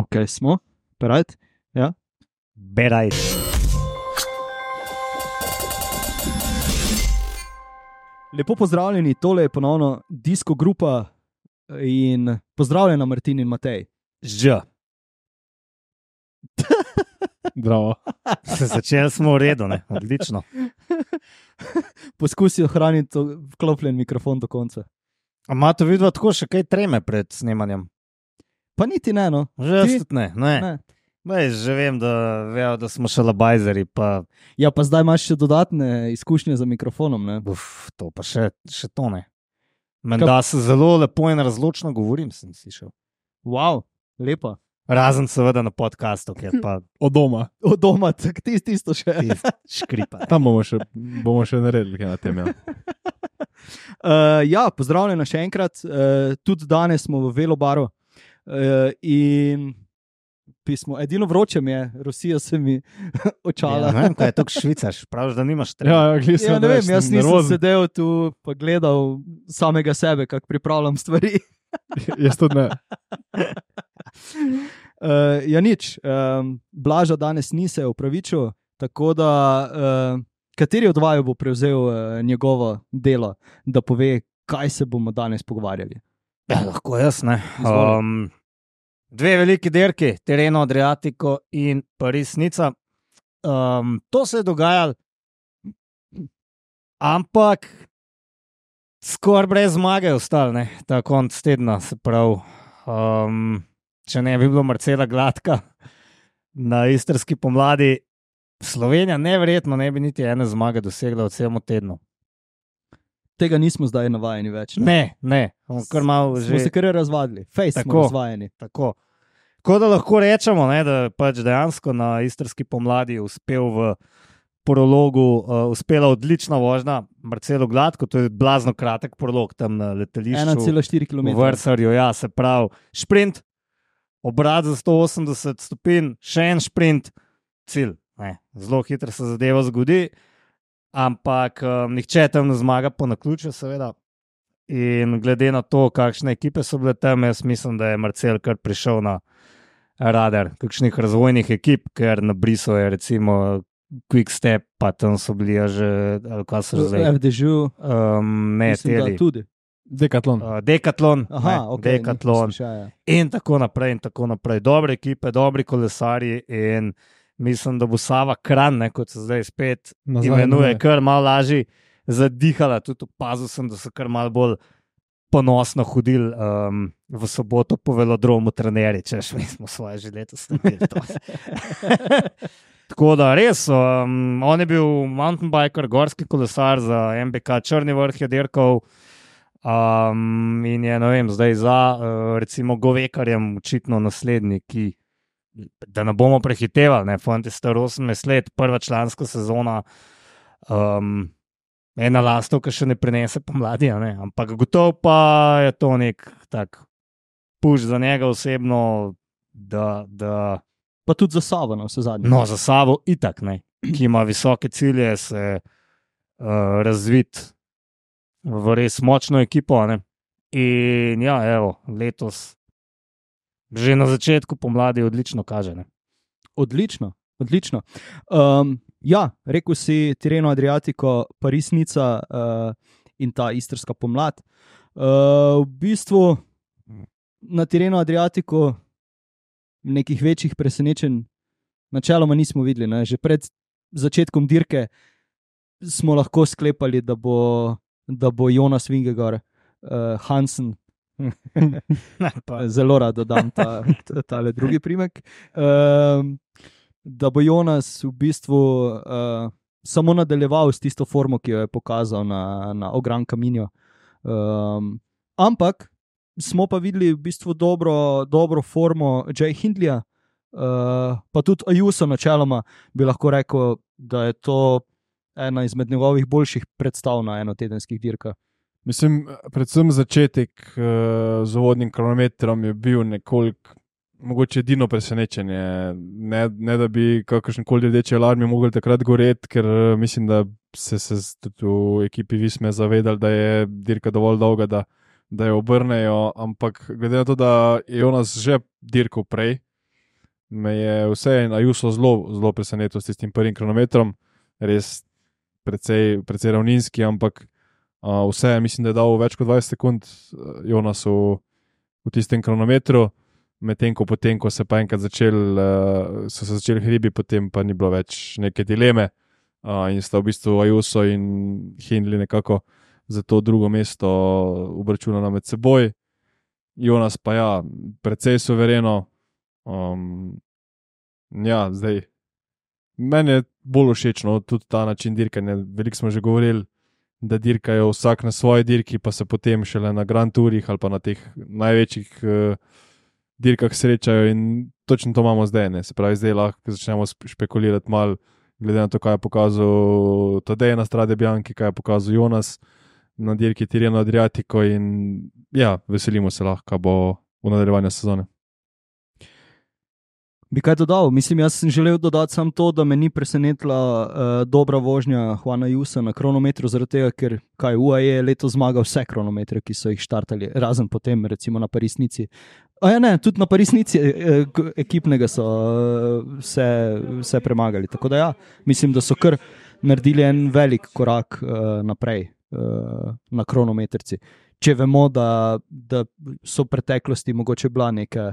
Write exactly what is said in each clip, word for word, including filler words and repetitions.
Ok, smo, berajt, ja. Berajt. Lepo pozdravljeni, tole je ponovno Disko Grupa in pozdravljena Martin in Matej. Ž. Bravo. Začeli smo v redu, ne? Odlično. Poskusi ohraniti vklopljen mikrofon do konca. A imate vidva tako še kaj treme pred snemanjem? Pa niti ne, no. Že Ti? jaz ne, ne. Ne. Bej, že vem, da vejo, da smo šalabajzeri, pa Ja, pa zdaj imaš še dodatne izkušnje za mikrofonom, ne? uf, to pa še, še to ne. Menda se zelo lepo in razločno govorim, sem slišal. Wow, lepa. Razen seveda na podcastu, kjer pa Od doma. Od doma, tak tisto, tisto še. tist škripa. Tam bomo še, bomo še naredili kaj na tem. Ja. Uh, ja, pozdravljena še enkrat. Uh, tudi danes smo v Velobaru uh, in pismo. Edino vroče mi je, Rusija se mi očala. Ja, ne vem, kaj je to švicaš, praviš, da nimaš treme. Ja, ja, Ja, ne vem, jaz nisem sedel tu pa gledal samega sebe, kako pripravljam stvari. Jaz tudi ne. Uh, ja, nič. Um, Blaža danes ni se opravičil, tako da uh, kateri od vaju bo prevzel uh, njegovo delo, da pove, kaj se bomo danes pogovarjali. Ja, lahko jaz, ne. Izvoli. Um, dve veliki dirki, Tirreno Adriatico in Paris-Nica. Um, to se je dogajalo, ampak skoraj brez zmage ostali, ne, ta konc tedna, se pravi. Um, če ne bi bilo Marcela Gladka na istrski pomladi, Slovenija neverjetno ne bi niti ene zmage dosegla v celem tednu. Tega nismo zdaj navajeni več. Ne, ne, kar malo Smo že... se kar razvadili, fejs smo Tako. razvajeni. Tako. Tako da lahko rečemo, ne, da je pač dejansko na istrski pomladi uspel v prologu, uh, uspela odlična vožnja Marcelo Gladko, to je blazno kratek prolog tam na letališču. ena cela štiri V kilometra. Vrsarju, ja, se pravi, šprint, obrat za sto osemdeset stopinj, še en šprint, cilj. Ne, zelo hitro se zadeva zgodi, ampak um, nihče tam ne zmaga po naključju, seveda. In glede na to, kakšne ekipe so bile tam, jaz mislim, da je Marcel kar prišel na radar kakšnih razvojnih ekip, ker na Brisu je recimo Quick Step, pa tam so bili ja že, ali kaj so že zdaj? F D Ž, Um, ne, mislim, da teli. tudi. Dekatlon. Uh, Decathlon, Aha, ne, ok. Decathlon Še, ja. in tako naprej, in tako naprej. Dobre ekipe, dobri kolesarji in mislim, da bo Sava Kranj, ne, kot se zdaj spet Nazaj imenuje, imenuje. kar malo lažje zadihala. Tudi opazil sem, da so kar malo bolj ponosno hodili um, v soboto po velodromu trenerji, češ, mi smo svoje že letos naredili to. Tako da res, um, on je bil mountain biker, gorski kolesar za M B K Črni vrh je dirkal. Um, in je, ne vem, zdaj za uh, recimo Govekarjem očitno naslednji, ki, da ne bomo prehitevali, ne, fant je star osemnajst let, prva članska sezona, um, ena lastovka še ne prinese pomladi, a ne, ampak gotovo pa je to nek tak puš za njega osebno, da, da Pa tudi za Savo, na vse zadnje. no, za Savo itak, ne, ki ima visoke cilje, se uh, razviti v res močno ekipo, a ne. In ja, evo, letos že na začetku pomladi odlično kaže, ne. Odlično, odlično. Um, ja, rekel si Tirreno Adriatico, Paris-Nica uh, in ta istrska pomlad. Uh, v bistvu na Tirreno Adriatico nekih večjih presenečenj načeloma nismo videli. Ne? Že pred začetkom dirke smo lahko sklepali, da bo, da bo Jonas Vingegaard, uh, Hansen, Pa, zelo rad dodam ta, ta, tale drugi primek, um, da bo Jonas v bistvu uh, samo nadaljeval s tisto formo, ki jo je pokazal na, na Gran Camino. Um, ampak smo pa videli v bistvu dobro, dobro formo Jay Hindleya, uh, pa tudi Ayuso načeloma bi lahko rekel, da je to ena izmed njegovih boljših predstav na enotedenskih dirkah. Mislim, predvsem začetek uh, z uvodnim kronometrom je bil nekoliko, mogoče edino presenečenje. Ne, ne da bi kakršenkoli rdeči alarmi mogli takrat goreti, ker uh, mislim, da se, se tudi v ekipi Visme zavedali, da je dirka dovolj dolga, da da jo obrnejo, ampak glede na to, da je Jonas že dirkal prej, me je vseeno Ayuso zelo, zelo presenetil s tistim prvim kronometrom, res precej, precej ravninski, ampak uh, vse, mislim, da je dal več kot dvajset sekund Jonasu v tistem kronometru, medtem ko potem, ko se pa enkrat začel, uh, so se začeli hribi, potem pa ni bilo več neke dileme uh, in sta v bistvu Ayuso in Hindley nekako za to drugo mesto obračunala med seboj. Jonas pa ja, precej suvereno. Um, ja, zdaj, meni je bolj všeč, no, tudi ta način dirkanja. Veliko smo že govorili, da dirkajo vsak na svoji dirki, pa se potem šele na Grand Tourih ali pa na teh največjih uh, dirkah srečajo in točno to imamo zdaj. Ne? Se pravi, zdaj lahko začnemo špekulirati malo, glede na to, kaj je pokazal Tadej na Strade Bianchi, kaj je pokazal Jonas na dirki Tirreno Adriatico in ja, veselimo se lahko, bo v nadaljevanju sezone. Bi kaj dodal? Mislim, jaz sem želel dodati samo to, da me ni presenetila uh, dobra vožnja Juana Ayusa na kronometru, zaradi tega, ker kaj U A E je letos zmagal vse kronometre, ki so jih štartali, razen potem recimo na Parisnici. A ja ne, tudi na Parisnici eh, ekipnega so uh, vse, vse premagali. Tako da ja, mislim, da so kar naredili en velik korak uh, naprej uh, na kronometrci. Če vemo, da, da so v preteklosti mogoče bila neka,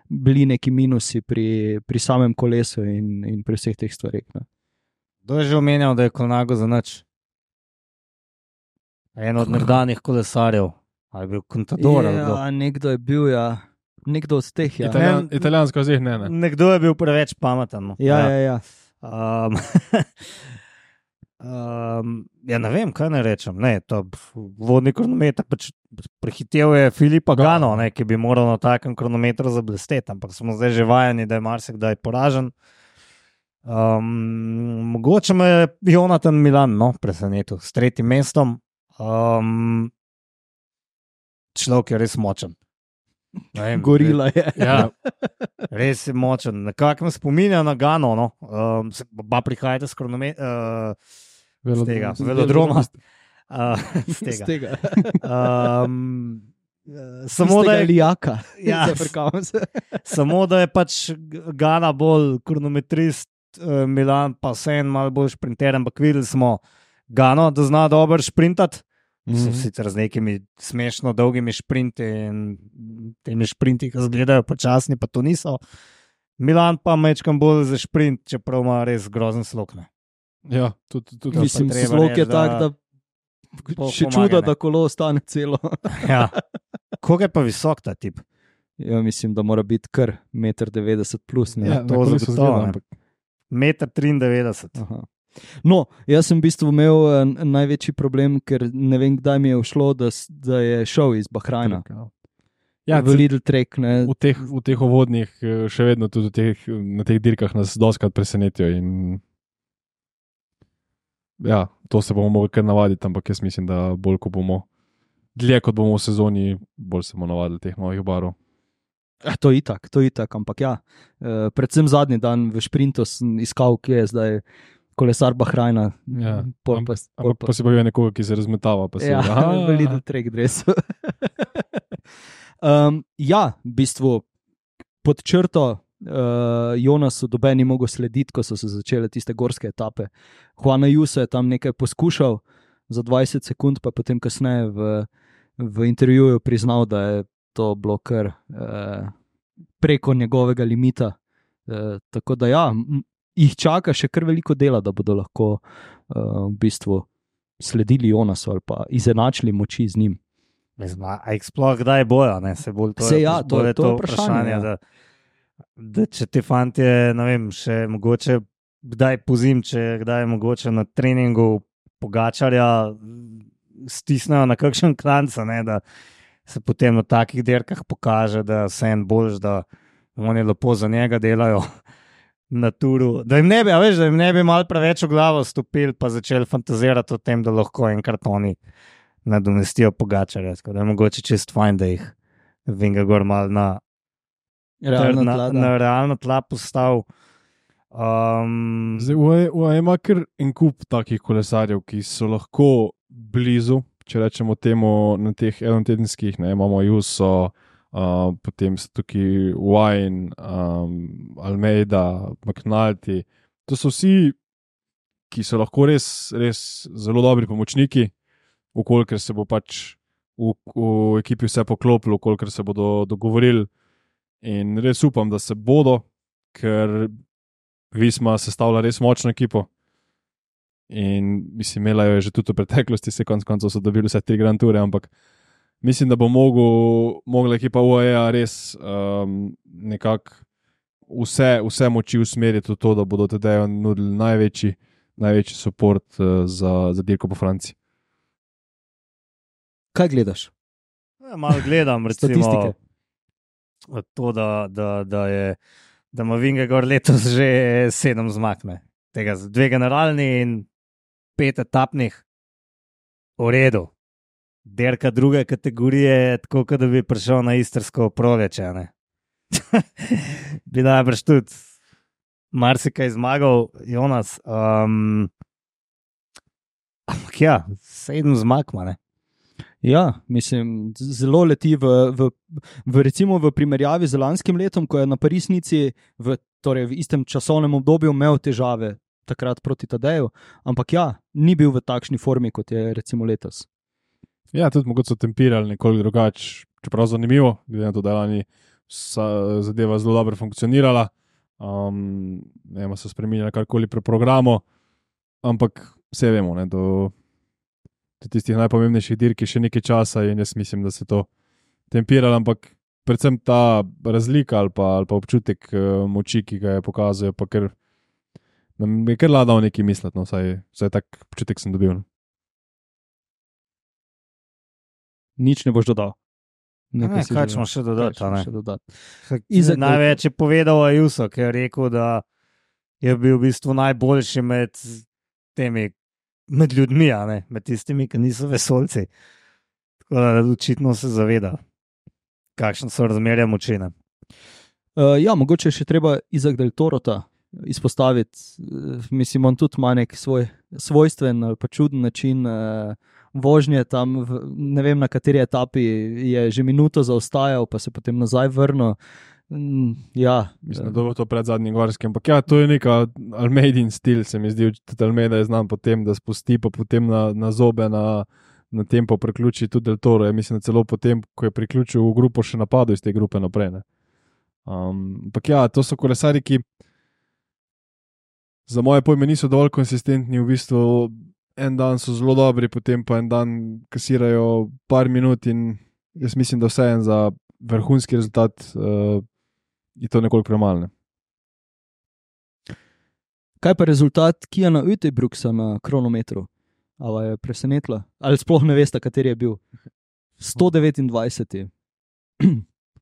bili neki minusi pri, pri samem kolesu in, in pri vseh teh stvarih. Ne. Kdo je že omenjal, da je Colnago za nič? En od nekdanjih kolesarjev. Ali je bil Contador? Ja, nekdo je bil, ja. Nekdo od teh, ja. Italijan, italijansko zih, ne, ne. Nekdo je bil preveč pameten. No. Ja, ja, ja. Um, um, ja, ne vem, kaj naj rečem. Ne, to vodni kronometer pač prehitev je Filipa Gano, ne, ki bi moral na takem kronometru zablesteti, ampak smo zdaj že vajeni, da je marsikdaj poražen. Um, mogoče me je Jonathan Milan no, presenetil s tretjim mestom. Um, človek je res močen. Vem, Gorila je. Ja, res je močen. Nekako me spominja na Gano. No. Um, ba prihajate s kronometra. Uh, z tega, velodroma. Uh, z tega. Z tega. Um, samo da je Lijaka. Ja, samo da je pač Gana bolj kronometrist, uh, Milan pa vseeno malo bolj šprinter, ampak videli smo Gano, da zna dobro šprintati. Mm-hmm. Sicer z nekimi smešno dolgimi šprinti in temi šprinti, ki izgledajo počasni, pa to niso. Milan pa mečkam bolj za šprint, čeprav ima res grozen slog. Ne. Ja, tudi, tudi. Mislim, slog je tak, da še čudo, da kolo ostane celo. Ja. Koga je pa visok ta tip? Ja, mislim, da mora biti kar meter devetdeset plus. Ne? Ja, to zagotovo. meter triindevetdeset. Aha. No, jaz sem v bistvu imel uh, največji problem, ker ne vem, kdaj mi je všlo, da, da je šel iz Bahrajna. Ja, v Lidl Trek. Ne. V teh, v teh uvodnih, še vedno tudi teh, na teh dirkah nas doskrat presenetijo. In ja, to se bomo mogli kar navaditi, ampak jaz mislim, da bolj, ko bomo dlje, kot bomo v sezoni, bolj se bomo navadili teh novih barov. Ja, to je itak, to je itak, ampak ja. Uh, predvsem zadnji dan v šprintu sem iskal, kje je zdaj kolesar Bahrajna. Ja, pol, ampak pa, pol, pa, pa si pa je nekoga, ki se razmetava. Pa ja, v Lidl Trek dresu. um, ja, v bistvu pod črto uh, Jonasu doben ni mogel slediti, ko so se začele tiste gorske etape. Juan Ayuso je tam nekaj poskušal za dvajset sekund, pa potem kasneje v, v intervjuju priznal, da je to bilo kar uh, preko njegovega limita. Uh, tako da ja, jih čaka še kar veliko dela, da bodo lahko uh, v bistvu sledili Jonasu ali pa izenačili moči z njim. A jih sploh kdaj bojo? Ne? Se bolj to Se je, ja, to, je to, to vprašanje. vprašanje ja. da, da če ti fantje, ne vem, še mogoče kdaj pozim, če kdaj mogoče na treningu Pogačarja stisnejo na kakšen klanca, ne, da se potem na takih dirkah pokaže, da se en boljš, da oni lepo za njega delajo na turu, da jim ne bi, a veš, da jim ne bi malo preveč v glavo stopili, pa začeli fantazirati o tem, da lahko enkrat oni nadomestijo Pogačarja, tako da je mogoče čist fajn, da jih Vinga gor malo na realno tla, na, na realno tla postav. Um, Zdaj, U A E ima kar en kup takih kolesarjev, ki so lahko blizu, če rečemo temu na teh enotedenskih, ne, imamo Ayuso, uh, potem so tukaj Wine, um, Almeida, McNulty. To so vsi, ki so lahko res, res zelo dobri pomočniki, ukolikor se bo pač v, v ekipi vse poklopilo, ukolikor se bodo dogovorili. In res upam, da se bodo, ker Visma sestavlja res močno ekipo. In mislim, imela jo je že tudi v preteklosti, se konc koncev so dobili vse tri Grand Toure, ampak mislim, da bo mogel, mogla ekipa U A E res um, nekako vse, vse moči usmeriti v to, da bodo Tadeju nudili največji, največji support uh, za, za dirko po Franciji. Kaj gledaš? Ja, malo gledam, recimo, Statistike. to, da, da, da, je, da ima Vingegaard letos že sedem zmag. ne. Tega z dve generalni in pet etapnih. V redu. Derka druge kategorije je tako, kot da bi prišel na istrsko proleče. ne. Bi najbrž tudi marsikaj zmagal, Jonas. Um, ampak ja, sedem zmag ima, ne. Ja, mislim, zelo leti v, v, v, recimo v primerjavi z lanskim letom, ko je na Parisnici v, torej v istem časovnem obdobju imel težave takrat proti Tadeju, ampak ja, ni bil v takšni formi, kot je recimo letos. Ja, tudi mogoče so tempirali nekoliko drugače, čeprav zanimivo, glede na to, da je lani zadeva zelo dobro funkcionirala, um, ne vem, so spremenili karkoli pri programu, ampak vse vemo, ne, do tistih najpomembnejših dirk je še nekaj časa in jaz mislim, da se to tempiralo, ampak predvsem ta razlika ali pa, ali pa občutek uh, moči, ki ga je pokazal, pa ker nam je kar ladal nekaj misliti, no, vsaj, vsaj tak občutek sem dobil. No. Nič ne boš dodal. Ne, Nekaj si kaj želel. ćemo še dodati, Kaj a ne? ćemo še dodati? Izak, največ je povedal Ayuso, ki je rekel, da je bil v bistvu najboljši med temi, med ljudmi, a ne, med tistimi, ki niso vesolci. Tako da očitno se zaveda, kakšne so razmerja moči. ne. Uh, ja, mogoče še treba Izak del Torota izpostaviti. Uh, mislim, on tudi ima nek svoj svojstven ali pa čuden način uh, vožnje tam, v, ne vem na kateri etapi je že minuto zaostajal, pa se potem nazaj vrnil. Mm, ja, Mislim, da bo to pred zadnjim gorskim, ampak ja, to je neka Almeidin stil, se mi zdi, tudi Almeida je znam potem, da spusti pa potem na, na zobe, na, na tempo priključi tudi Del Toro. Ja, mislim, da celo potem, ko je priključil v grupo, še napadal iz te grupe naprej. Ne. Um, ampak ja, to so kolesari, ki za moje pojme niso dovolj konsistentni, v bistvu en dan so zelo dobri, potem pa en dan kasirajo par minut in jaz mislim, da vseeno za vrhunski rezultat uh, je to nekoliko premalo. Kaj pa rezultat Kijana Uijtdebroeksa na kronometru? Ali je presenetila? Ali sploh ne veste, kateri je bil? sto devetindvajseti.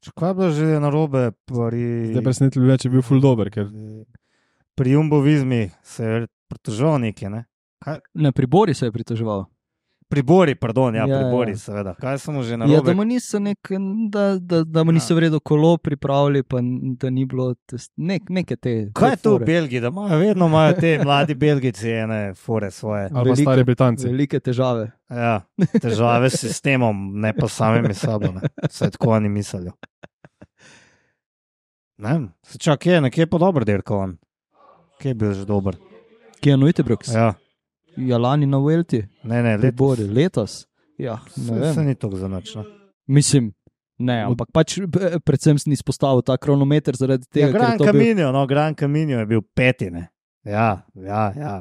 Kaj je bilo že narobe pri... Zdaj presenetilo bi me, če je bil ful dober, ker Pri Jumbo Vismi se je pritoževal nekaj, ne? Kaj? Ne, pri Bori se je pritoževal. Pri Bori, pardon, ja, Ja, pri ja. Bori, seveda. Kaj so mu že Ja, narobe? da mu niso, nek, da, da, da mu niso Ja. v redu kolo pripravili, pa n- da ni bilo test, nek, neke te. Kaj je te to v fore. Belgiji, da imajo vedno imajo te mladi Belgijci ene fore svoje? ali pa Velike- stari Britanci. Velike težave. Ja, težave s sistemom, ne pa samimi sabo. Ne. Vse tako oni mislijo. Ne vem, se čak je, nekje je pa dober dirkal on. Kje je bil že dober? Kijan Uijtdebroeks. Ja. Ja, ja, lani na Vuelti, ne, ne, pri letos. Bori, letos. Ja, ne Se, vem. se ni to za nič. No. Mislim, ne, ampak pač p- predvsem sem izpostavil ta kronometer zaradi tega, Ja, ker Gran je to bil. Camino, no, Gran Camino je bil peti, ne. Ja, ja, ja.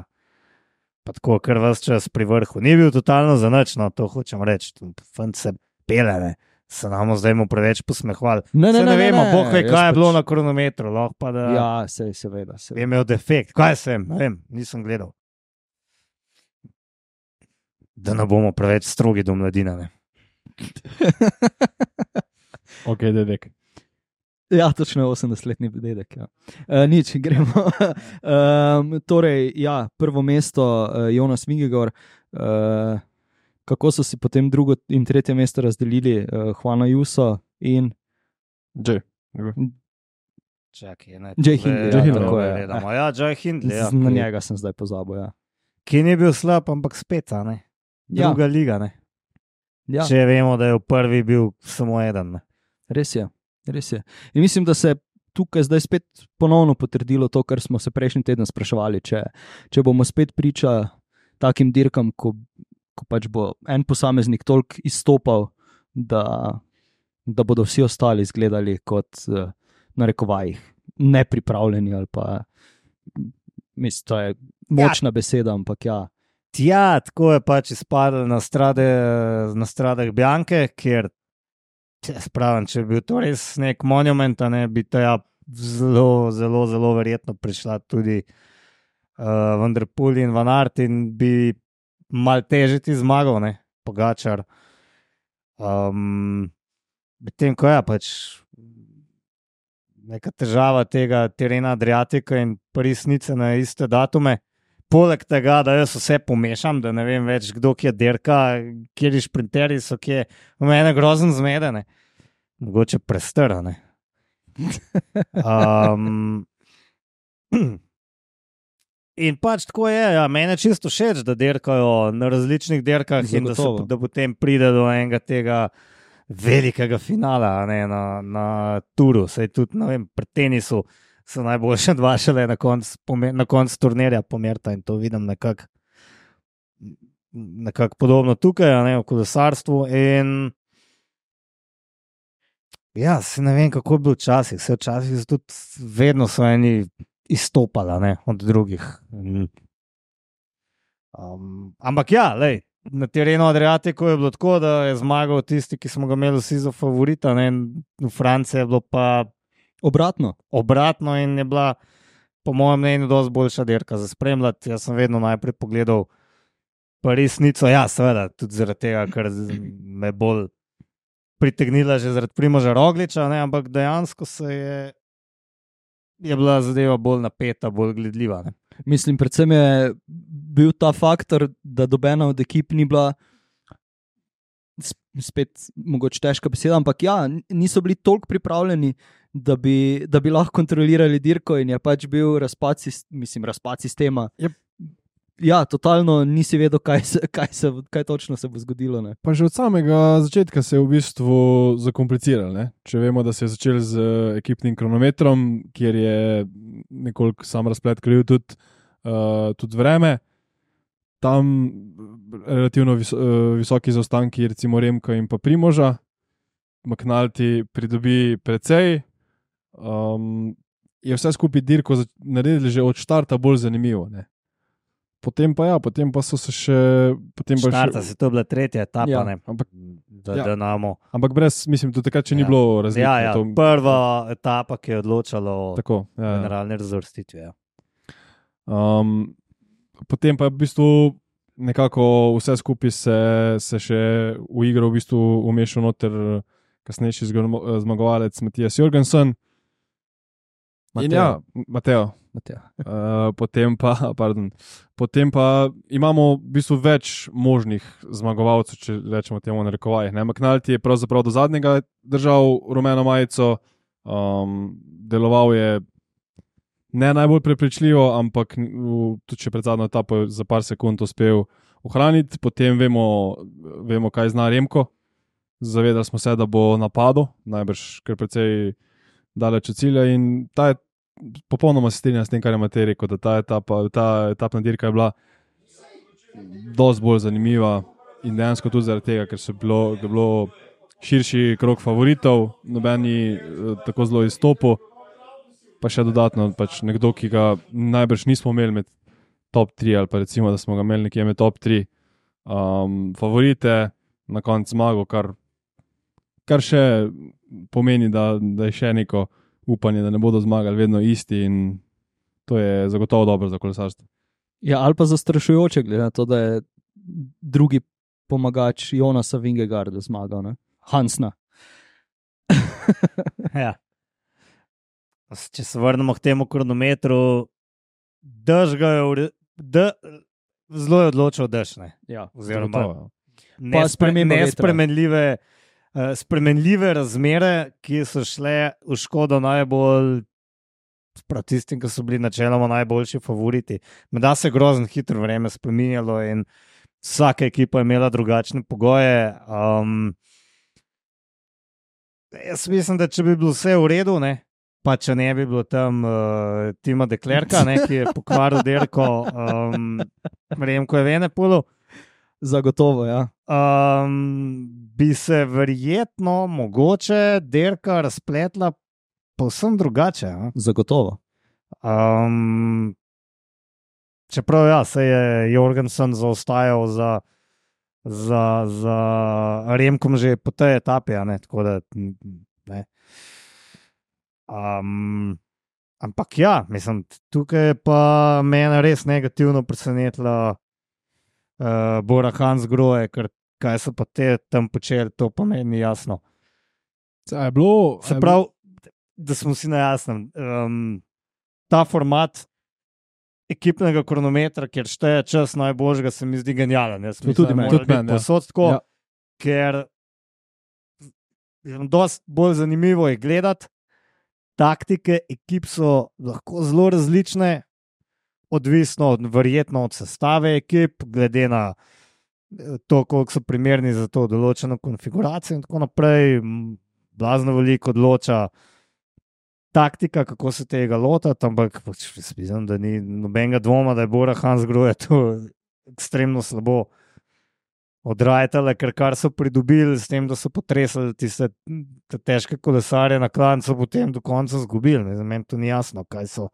Pa tako, ker vas čas pri vrhu. Ni bil totalno za nič, no, to hočem reči. Fant se pele, ne. Se nam zdaj mu preveč posmehvali. Ne, ne, Se ne, ne ne, vemo, ne, Bog ve, jaz kaj je pač- bilo na kronometru, lahko pa da Ja, se, seveda. je seveda. imel defekt. Kaj sem, ne vem, nisem gledal. Da ne bomo preveč strogi do mladine. Ne. Ok, dedek. Ja, točno osemdesetletni dedek. Ja. Uh, nič, gremo. um, torej, ja, prvo mesto uh, Jonas Vingegaard. Uh, kako so si potem drugo in tretje mesto razdelili, uh, Juan Ayuso in Dže. Čakaj, ne. Jay tole- Hindley, ja, ja, tako tole je. gledamo. Ja, Jay Hindley. Ja, z- na njega sem zdaj pozabil. Ja. Ki ni bil slab, ampak spet, a ne. Ja. Druga liga, ne. Ja. Če vemo, da je v prvi bil samo eden. Ne. Res je, res je. In mislim, da se tukaj zdaj spet ponovno potrdilo to, kar smo se prejšnji teden spraševali, če, če bomo spet priča takim dirkam, ko, ko pač bo en posameznik toliko izstopal, da, da bodo vsi ostali izgledali kot na rekovajih nepripravljeni ali pa mislim, to je močna ja. beseda, ampak ja. Tja, tako je pač izpadlo na, strade, na stradah Bianke, kjer spravim, če bi bil to res nek monument, ne, bi ta zelo, zelo, zelo verjetno prišla tudi uh, Van der Poel in Van Aert in bi mal teže ti zmagal, ne, Pogačar. Um, Medtem ko je pač neka težava tega terena Adriatika in Paris-Nice na iste datume. Poleg tega, da jaz vse pomešam, da ne vem več, kdo kje dirka, kjeri šprinterji so, kje v mene grozen zmedene. Mogoče prestrane. Um, in pač tako je, ja, mene čisto všeč, da dirkajo na različnih dirkah in da, se, da potem pride do enega tega velikega finala, ne, na, na turu, saj tudi, ne vem, pri tenisu so najboljše dva šele na koncu konc turnirja pomerta in to vidim nekako nekak podobno tukaj, ne, v kolesarstvu in ja, se ne vem, kako je bilo včasih, se včasih tudi vedno so eni izstopala, ne, od drugih. Um, ampak ja, lej, na terenu Adriatiku je bilo tako, da je zmagal tisti, ki smo ga imeli vsi za favorita, ne? V Franciji je bilo pa obratno. Obratno in je bila, po mojem mnenju, dosti boljša dirka za spremljati. Jaz sem vedno najprej pogledal Paris-Nico, ja, seveda, tudi zaradi tega, ker me bolj pritegnila že zaradi Primoža Rogliča, ne? Ampak dejansko se je, je bila zadeva bolj napeta, bolj gledljiva, ne? Mislim, predvsem je bil ta faktor, da dobena od ekip ni bila, spet mogoče težka beseda, ampak ja, niso bili toliko pripravljeni, da bi, da bi lahko kontrolirali dirko in je pač bil razpad, mislim, razpad sistema. Yep. Ja, totalno nisi vedel, kaj, se, kaj, se, kaj točno se bo zgodilo. Ne? Pa že od samega začetka se je v bistvu zakompliciralo. Ne? Če vemo, da se je začel z ekipnim kronometrom, kjer je nekoliko sam razplet kril tudi, uh, tudi vreme, tam relativno vis, uh, visoki zaostanki, recimo Remka in pa Primoža, McNulty pridobi precej, um, je vse skupaj dirko naredili že od štarta bolj zanimivo. Ne? Potem pa ja, potem pa so se še... Štarta se to bila tretja etapa, ja, ne? Ampak, da, ja. da namo. Ampak brez, mislim, do takrat, če ja. ni bilo razlike. Ja, ja. To... Prva etapa, ki je odločala o Tako, ja, generalni ja. razvrstitvi. Ja. Um, potem pa je v bistvu nekako vse skupaj se, se še v igro v bistvu umešal noter kasnejši zmagovalec Matijas Jorgensen. In ja, Mateo. Uh, potem, pa, pardon, potem pa imamo v bistvu več možnih zmagovalcev, če rečemo temu na rekovajih. McNulty je pravzaprav do zadnjega držal rumeno majico, um, deloval je ne najbolj prepričljivo, ampak tudi če pred zadnjo etapo za par sekund uspel ohraniti. Potem vemo, vemo kaj zna Remko. Zavedali smo se, da bo napadel, najbrž kar precej daleč od cilja in ta je popolnoma se strinjam s tem, kar je Matej rekel, da ta, etapa, ta etapna dirka je bila dosti bolj zanimiva in dejansko tudi zaradi tega, ker so bilo, bilo širši krog favoritov, nobeni tako zelo izstopil, pa še dodatno pač nekdo, ki ga najbrž nismo imeli med top tri ali pa recimo, da smo ga imeli nekje med top tri um, favorite, na koncu zmago, kar, kar še pomeni, da, da je še neko upanje, da ne bodo zmagali vedno isti in to je zagotovo dobro za kolesarstvo. Ja, ali pa zastrašujoče, glede na to, da je drugi pomagač Jonasa Vingegaarda zmagal, ne? Hansna. Ja. Če se vrnemo k temu kronometru, dež ga je, de, zelo je odločil dež, ne? Ja, oziroma nespre, nespremenljive Uh, spremenljive razmere, ki so šle v škodo najbolj prav tistim, ki so bili načeloma najboljši favoriti. Menda se grozno hitro vreme spreminjalo in vsaka ekipa je imela drugačne pogoje. Um, Jaz mislim, da če bi bilo vse v redu, ne, pa če ne bi bilo tam uh, Tima Deklerka, ne, ki je pokvaril dirko, um, Remko Evenepoelu, Zagotovo, ja. um, bi se verjetno mogoče dirka razpletla povsem drugače. Ja. Zagotovo. Um, čeprav ja, se je Jorgensen zaostajal za, za, za Remkom že po tej etapi, ne, tako da ne. Um, ampak ja, mislim, tukaj je pa mene res negativno presenetila uh, Bora Hansgrohe, ker kaj so pa te tam počeli, to pa meni jasno. A je bilo, Se pravi, da smo si na jasnem, um, ta format ekipnega kronometra, kjer šteje čas najboljšega, se mi zdi genijalen. Jaz mislim, tudi da meni. mora Tudi biti meni, ja. povsod tako, Ja. ker je dosti bolj zanimivo je gledati. Taktike ekip so lahko zelo različne, odvisno od, verjetno od sestave ekip, glede na to, koliko so primerni za to določeno konfiguracijo in tako naprej. Blazno veliko odloča taktika, kako se tega lotati, ampak mislim, da ni nobenega dvoma, da je Bora Hansgrohe to ekstremno slabo odrajtale, ker kar so pridobili s tem, da so potresali tiste te težke kolesarje na klancu, potem do konca zgubili. Za meni to ni jasno, kaj so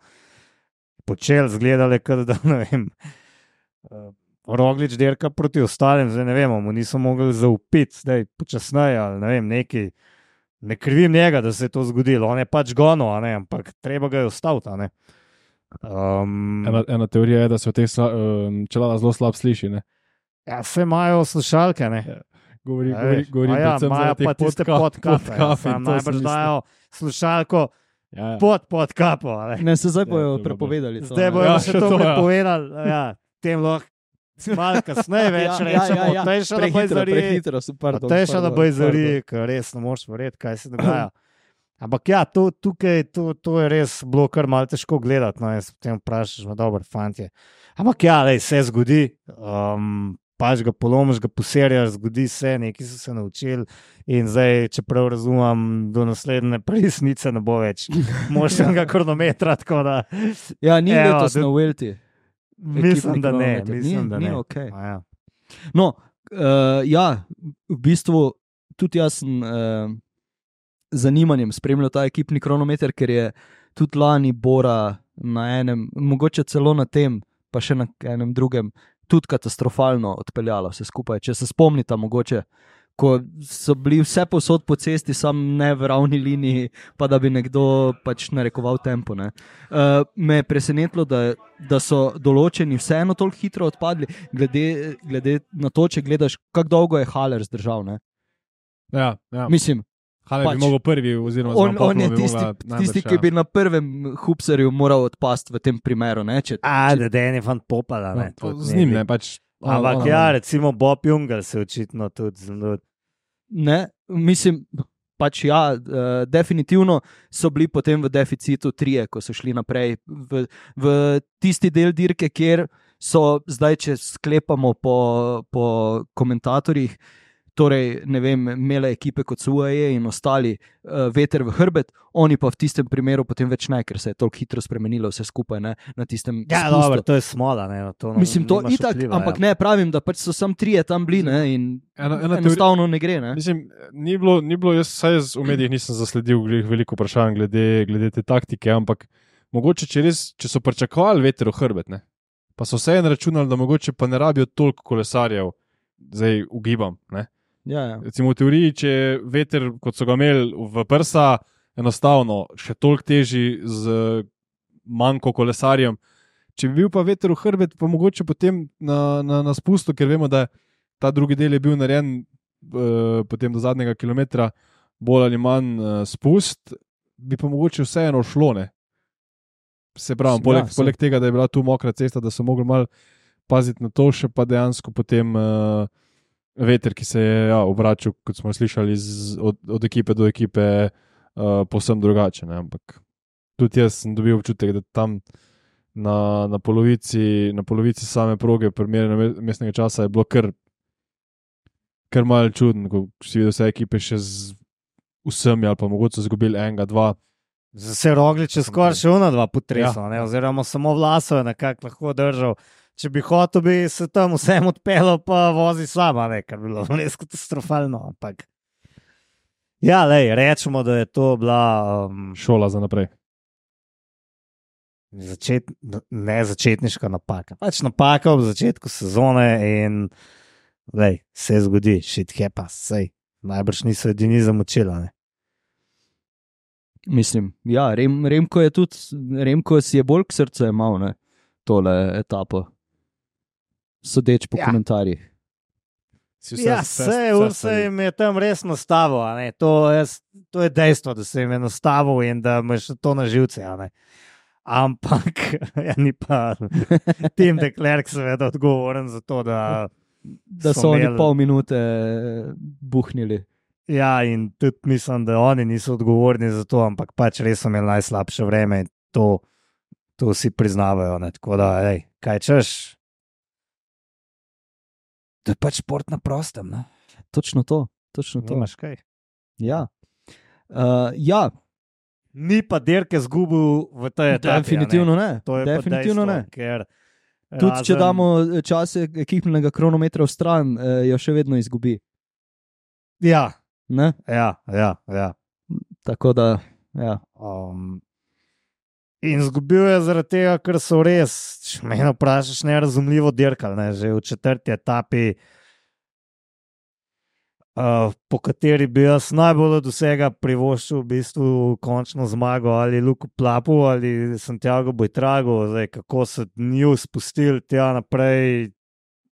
počeli, zgledali, kot da ne vem. Roglič dirka proti ostalim, zdaj ne vemo, mu niso mogli zaupiti, zdaj počasneje ali ne vem, neki. Ne krivim njega, da se je to zgodilo, on je pač gonil, a ne, ampak treba ga je ustaviti, a ne. Um, ena, ena teorija je, da se v teh sla, um, čelada zelo slab sliši, ne? ja, vse imajo slušalke, ne. Govori, Ej, govori, govori a ja, predvsem imajo zaradi teh pa tiste podka- podkape, ja, podkape in sam to sem najbrž mislil. dajo slušalko Ja, ja. pod podkapo, a ne. Ne, se zdaj Ja, bojo to bo prepovedali. to, Zdaj ne. bojo Ja, še še to to, ja. prepovedali, ja, tem lahko malo kasneje več Ja, ja, rečemo, ja, ja. Tejša na Prehitro, Bajzari, prehitro, so, pardon, Tejša na pardon, Bajzari, pardon. ker res ne moreš verjeti, kaj se dogaja. Ampak ja, to, tukaj, to, to je res bilo kar malo težko gledati, no, jaz potem vprašaš, no, dobro, fantje. Ampak ja, lej, se zgodi, um, pač ga polomiš, ga poserjaš, zgodi se, neki so se naučili in zdaj, če prav razumem, do naslednje presnice ne bo več močnega kronometra, tako da Ja, ni Evo, letos da- na Welti. mislim, da ne, kronometer. mislim, Ni- da ni ne. okej. A ja. No, uh, ja, v bistvu tudi jaz sem uh, zanimanjem spremljal ta ekipni kronometer, ker je tudi lani Bora na enem, mogoče celo na tem, pa še na enem drugem, tudi katastrofalno odpeljala vse skupaj. Če se spomnite, mogoče, ko so bili vse posod po cesti, sam ne v ravni liniji, pa da bi nekdo pač narekoval tempo. Ne. Uh, me je presenetilo, da, da so določeni vseeno toliko hitro odpadli, glede, glede na to, če gledaš, kako dolgo je Haller zdržal. Ne. Ja, ja. Mislim, Haller pač- bi mogel prvi, oziroma on, zelo on je bi tisti, mogla najbrž, tisti ja. ki bi na prvem hupserju moral odpasti v tem primeru. Ne, če, A, če, da je fan popala, ne. No, tudi z njim bi- ne, pač. Ampak ona- ja, recimo Bob Jungle se očitno tudi zelo. ne, mislim, pač ja, uh, definitivno so bili potem v deficitu trije, ko so šli naprej v, v tisti del dirke, kjer so zdaj, če sklepamo po, po komentatorjih, torej, ne vem, imele ekipe kot so U A E in ostali uh, veter v hrbet, oni pa v tistem primeru potem več ne, ker se je toliko hitro spremenilo vse skupaj, ne, na tistem Ja, spustu. dobro, to je smola, ne. To no, Mislim, to nimaš itak, vpliva, ampak ja. ne, pravim, da pač so sam trije tam bili, ne, in Ena- ena enostavno ne gre, ne. Mislim, ni bilo, ni bilo jaz, saj jaz v medijih nisem zasledil glih veliko vprašanj glede, glede te taktike, ampak mogoče, če, res, če so pričakovali veter v hrbet, ne, pa so vseeno računali, da mogoče pa ne rabijo toliko kolesarjev, zdaj ugibam. Ne. Ja, ja. Recimo v teoriji, če je veter, kot so ga imeli v prsa, enostavno še toliko težji z manjko kolesarjem. Če bi bil pa veter v hrbet, pa mogoče potem na, na, na spustu, ker vemo, da ta drugi del je bil narejen uh, potem do zadnjega kilometra, bolj ali manj uh, spust, bi pa mogoče vseeno šlo. Ne? Se pravi, Ja, poleg, saj. poleg tega, da je bila tu mokra cesta, da so mogli malo paziti na to, še pa dejansko potem uh, veter, ki se je ja, obračal, kot smo slišali, z, od, od ekipe do ekipe, uh, povsem drugače. Ne? Ampak tudi jaz sem dobil občutek, da tam na, na, polovici, na polovici same proge, primerjeno mestnega časa, je bilo kar, kar malo čudno, ko si videl vse ekipe še z vsemi, ali pa mogoče so izgubili enega, dva. Se Roglič je skoraj še ona dva potresla, Ja. oziroma samo Vlasov je nekako lahko držal. Če bi hotel, bi se tam vsem odpeljal, pa vozi sama, ne, kar bi bilo res katastrofalno. Ampak ja, lej, rečemo, da je to bila um, Šola za naprej. začet, ne začetniška napaka. Pač napaka v začetku sezone in lej, se zgodi, shit happens, sej. Najbrž niso edini zamočila, ne. Mislim, ja, Rem, Remko je tudi, Remko si je bolj k srcu imel, ne, tole etapo. Sodeč po Ja. ja. komentarjih. Si Ja, vse, vse jim je tam res nastavil, a ne. To, jaz, to je dejstvo, da se jim je nastavil in da imaš to na živce, a ne. Ampak, ja, ni pa Tim de Klerk seveda odgovoren za to, da Da so, so oni imeli- pol minute buhnili. Ja, in tudi mislim, da oni niso odgovorni za to, ampak pač res so imeli najslabše vreme in to, to vsi priznavajo. Ne? Tako da, ej, kaj češ? To je pač šport na prostem. Ne? Točno to, točno to. Nimaš kaj. Ja. Uh, ja, Ni pa dirke zgubil v tej etapi. a ne. definitivno ne. To je definitivno pa ne. dejstvo, ker Tudi razen- če damo čase ekipnega kronometra v stran, eh, jo še vedno izgubi. Ja, Ne? ja, ja. ja. Tako da, ja. Um, in zgubil je zaradi tega, ker so res, če me vprašaš, nerazumljivo dirkali. Ne? Že v četrti etapi, uh, po kateri bi jaz najbolj od vsega privoščil v bistvu končno zmago ali Luku Plapu ali Santiago Bojtrago, zdaj, kako so nju spustili tja naprej,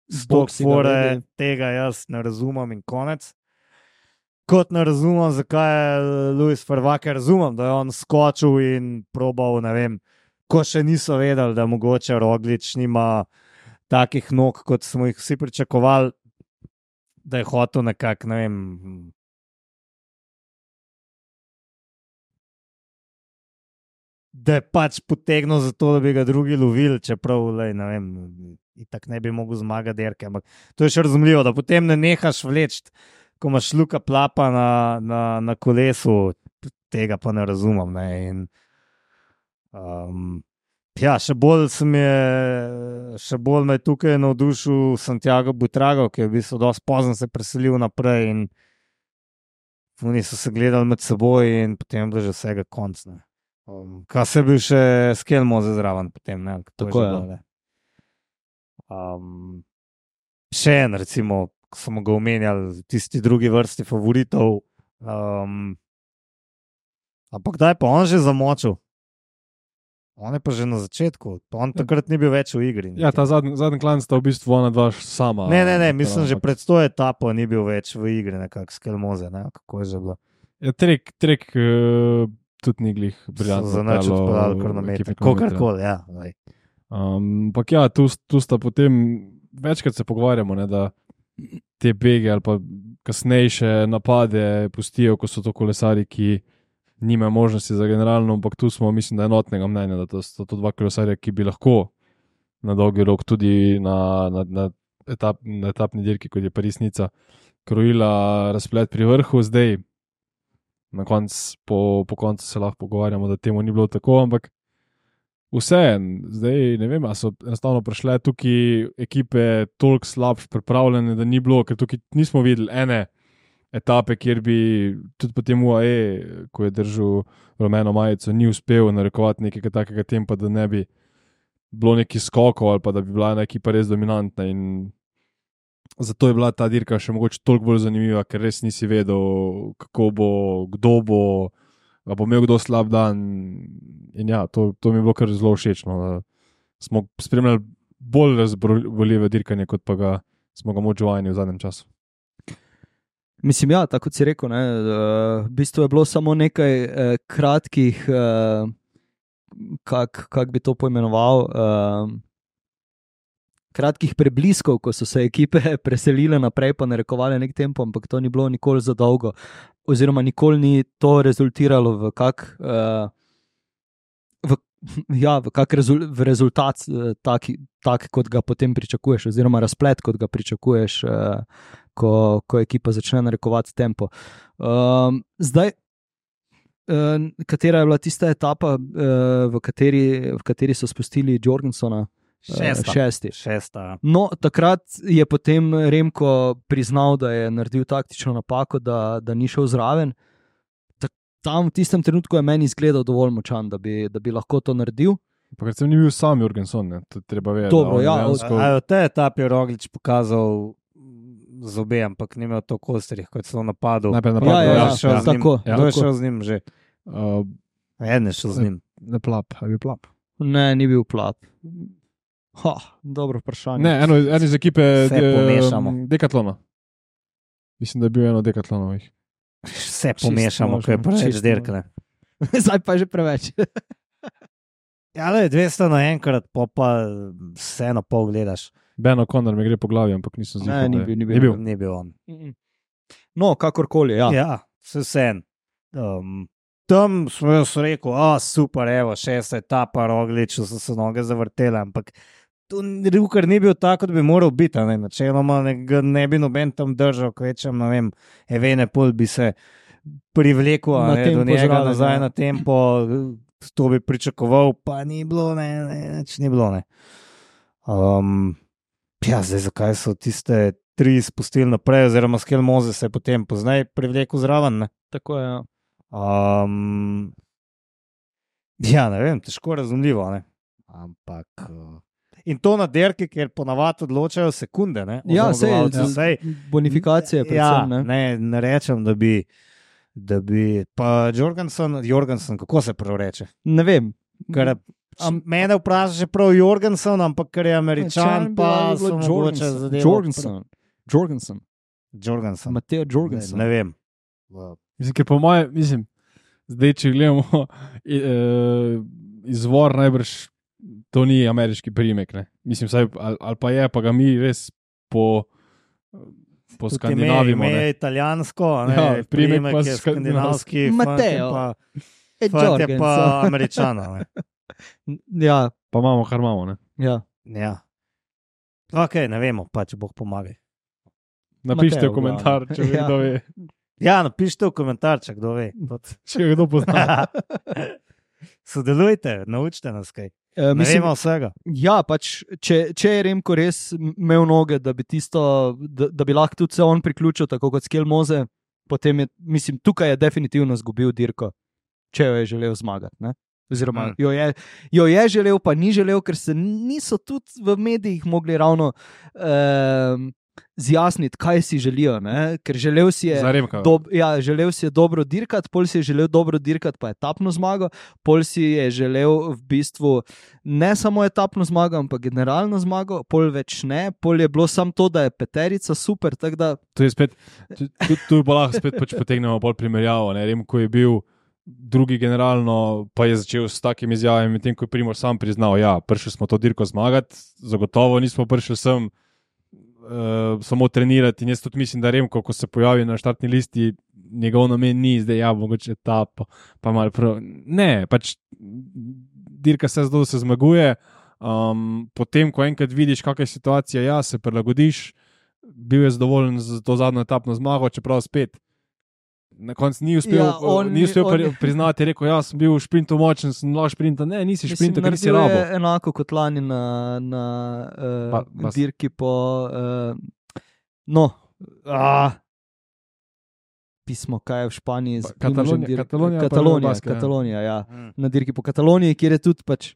stok Boxinga fore, vedi. tega jaz ne razumem in konec. Kot ne razumem, zakaj je Luis Farvake, razumem, da je on skočil in probal, ne vem, ko še niso vedeli, da mogoče Roglič nima takih nog, kot smo jih vsi pričakovali, da je hotel nekako, ne vem, da je pač potegnil za to, da bi ga drugi lovili, čeprav, lej, ne vem, itak ne bi mogel zmagati dirke, ampak to je še razumljivo, da potem ne nehaš vleči, ko imaš Luka Plapa na, na, na kolesu, tega pa ne razumem. Ne? In, um, ja, še bolj sem je, še bolj me je tukaj navdušil Santiago Buitrago, ki je v bistvu dosti pozno se preselil naprej in oni so se gledali med seboj in potem je bilo že vsega konc. Ne? Um, kaj se je bil še Skelmoze zraven potem, ne? To Tako že je. bilo, ne. Um, še en, recimo, ko smo ga omenjali, tisti drugi vrsti favoritov. Um, ampak kdaj pa on že zamočil? On je pa že na začetku, pa on takrat ni bil več v igri. Ja, ta zadnji, zadnji klan sta v bistvu ona dva sama. Ne, ne, ne, mislim, že ampak- pred to etapo ni bil več v igri, nekako Skelmoze, ne, kako je že bilo. Ja, trek, trek uh, tudi ni glih So briljantno. za nič peljal odpeljali ekipe kronometer, kronometra. kakorkoli, ja. lej. Um, Ampak ja, tu, tu sta potem večkrat se pogovarjamo, ne, da te bege ali pa kasnejše napade pustijo, ko so to kolesari, ki nimajo možnosti za generalno, ampak tu smo, mislim, da enotnega mnenja, da to sta to dva kolesarja, ki bi lahko na dolgi rok tudi na, na, na, etap, na etapni dirki, kot je Paris-Nica, krojila razplet pri vrhu. Zdaj, na koncu, po, po koncu se lahko pogovarjamo, da temu ni bilo tako, ampak vseeno, zdaj ne vem, ali so enostavno prišle tukaj ekipe toliko slabše pripravljene, da ni bilo, ker tukaj nismo videli ene etape, kjer bi tudi potem U A E, ko je držal rumeno majico, ni uspel narekovati nekega takega tempa, da ne bi bilo neki skokov ali pa da bi bila ena ekipa res dominantna. In zato je bila ta dirka še mogoče toliko bolj zanimiva, ker res nisi vedel, kako bo, kdo bo, a bo imel kdo slab dan. In ja, to, to mi je bilo kar zelo všečno. Da smo spremljali bolj razborljive dirkanje, kot pa ga smo ga moč vajeni v zadnjem času. Mislim, ja, tako kot si rekel, ne, uh, v bistvu je bilo samo nekaj uh, kratkih, uh, kako kak bi to poimenoval, uh, kratkih prebliskov, ko so se ekipe preselile naprej, pa narekovali nek tempo, ampak to ni bilo nikoli za dolgo. Oziroma, nikoli ni to rezultiralo v kak, uh, v, ja, v kak rezul, v rezultat, uh, tak, tak, kot ga potem pričakuješ, oziroma razplet, kot ga pričakuješ. Uh, ko, ko ekipa začne narekovati tempo. Um, zdaj, uh, katera je bila tista etapa, uh, v, kateri, v kateri so spustili Jorgensona? Šesta. Šesti. Šesta. No, takrat je potem Remko priznal, da je naredil taktično napako, da, da ni šel zraven. Tak, tam v tistem trenutku je meni izgledal dovolj močan, da bi, da bi lahko to naredil. Pa ker sem ni bil sam Jorgenson, ne, to treba vedeti. Dobro, ja, dejansko... A je v tej etapi Roglič pokazal zobe, ampak ni imel to kostrih, kot so napadal. Najprej Ja, napad, ja, ja, ja, ja, ja, tako. Ja. Kdo je šel z njim že? Uh, En je šel z njim. ne plap, ali je plap. Ne, ni bil plap. Ha, dobro vprašanje. Ne, eno, eno iz ekipe Vse pomešamo. Dekatlona. Mislim, da je bil eno Dekatlonovih. Vse pomešamo, ko je preveč dirkne. Zdaj pa je že preveč. Ja, le dvesto naenkrat, pa pa vse na pol gledaš. Ben O'Connor me gre po glavi, ampak nisem Ne, zihal. ni da je- bil, ni bil. Ni bil. Ni bil on. No, kakorkoli, ja. Ja, vse vsem. Um, tam smo jaz rekel, a super, evo, šesta etapa, Rogliču so se noge zavrtele, ampak tu Rukar ni bil tako, kot bi moral biti. Ne? Načeloma ne, ga ne bi noben tam držal, kvečem, ne vem, Evene pol bi se privlekel a Na ne, tempo do njega zraven, nazaj ja. na tempo, to bi pričakoval, pa ni bilo, ne, ne, neč ni bilo, ne. Um, ja, zdaj zakaj so tiste tri spustili naprej, oziroma Skel Moze se je potem poznaj privlekel zraven, ne. Tako je, ja. Um, ja, ne vem, težko razumljivo, ne. Ampak. Uh, in to na derki, ker ponavadi odločajo sekunde. Ne, Ja, sej, zmagovalci. ja. Sej, Bonifikacije predvsem, ja, ne. ne, ne rečem, da bi. Da bi pa Jorgensen, Jorgensen, kako se prav reče? Ne vem. Ker, Am, mene vprašaš prav Jorgensen, ampak ker je Američan, Če pa bi so bilo mogoče Jorgensen. zadeve. Jorgensen. Jorgensen. Jorgensen. Mateo Ne, Jorgensen. ne vem. Mislim, ker po mojem, mislim, zdaj, če gledamo i- eh, izvor, najbrž to ni ameriški priimek. Ne? Mislim, saj, ali, ali pa je, pa ga mi res po, po Tudi skandinavimo. ime, ime ne. je italijansko, ne, Ja, priimek, priimek pa je skandinavski, Mateo. fant je E, pa, fant je pa Jorgensen. Američana. Ne. Ja, Pa imamo, kar imamo. Ne? ja. Ja. Ok, ne vemo, pa če Bog pomaga. Napišite Mateo, v komentar, če ja. kdo ve. Ja, napišite v komentar, če kdo ve. Če ga kdo pozna. Sodelujte, naučite nas kaj. E, Ne mislim, vemo vsega. ja, pač, če, če je Remko res imel noge, da bi, tisto, da, da bi lahko tudi se on priključil, tako kot Skel Moze, potem je, mislim, tukaj je definitivno izgubil dirko, če jo je želel zmagati. Ne? Oziroma, Mm. jo, je, jo je želel, pa ni želel, ker se niso tudi v medijih mogli ravno um, zjasniti, kaj si želijo. Ne? Ker želel si je. Zaremka. Dob, ja, želel si je dobro dirkati, pol si je želel dobro dirkati, pa etapno zmago, pol si je želel v bistvu ne samo etapno zmago, ampak generalno zmago, pol več ne, pol je bilo samo to, da je peterica super. Da, Tu je spet, tu, tu, tu pa lahko spet pač potegnemo bolj primerjavo. Ne? Remko je bil drugi generalno, pa je začel s takimi izjavami, medtem ko je Primož sam priznal, ja, prišli smo to dirko zmagati, zagotovo nismo prišli sem uh, samo trenirati. In jaz tudi mislim, da Remko, ko se pojavi na štartni listi, njegov namen ni zdaj, ja, mogoče ta, pa, pa malo prav. Ne, pač dirka se zdaj, da se zmaguje. Um, potem, ko enkrat vidiš, kakšna je situacija, ja, se prilagodiš, bil je zadovoljen z to zadnjo etapno zmago, čeprav spet. Na koncu ni uspel, Ja, on ni uspel ni- pri, on- priznati, je rekel, ja, sem bil v šprintu močen, sem lahko šprinta. Ne, nisi šprinta, ker nisi naredil je rabo. enako kot lani na, na uh, Pa- pa- dirki po. Uh, no, ah, pismo, kaj je v Španiji, z Pa Primožem Katalonija- dirk- Katalonija pa Katalonija, Baska, ja. Katalonija, ja. Mm. Na dirki po Kataloniji, kjer je tudi pač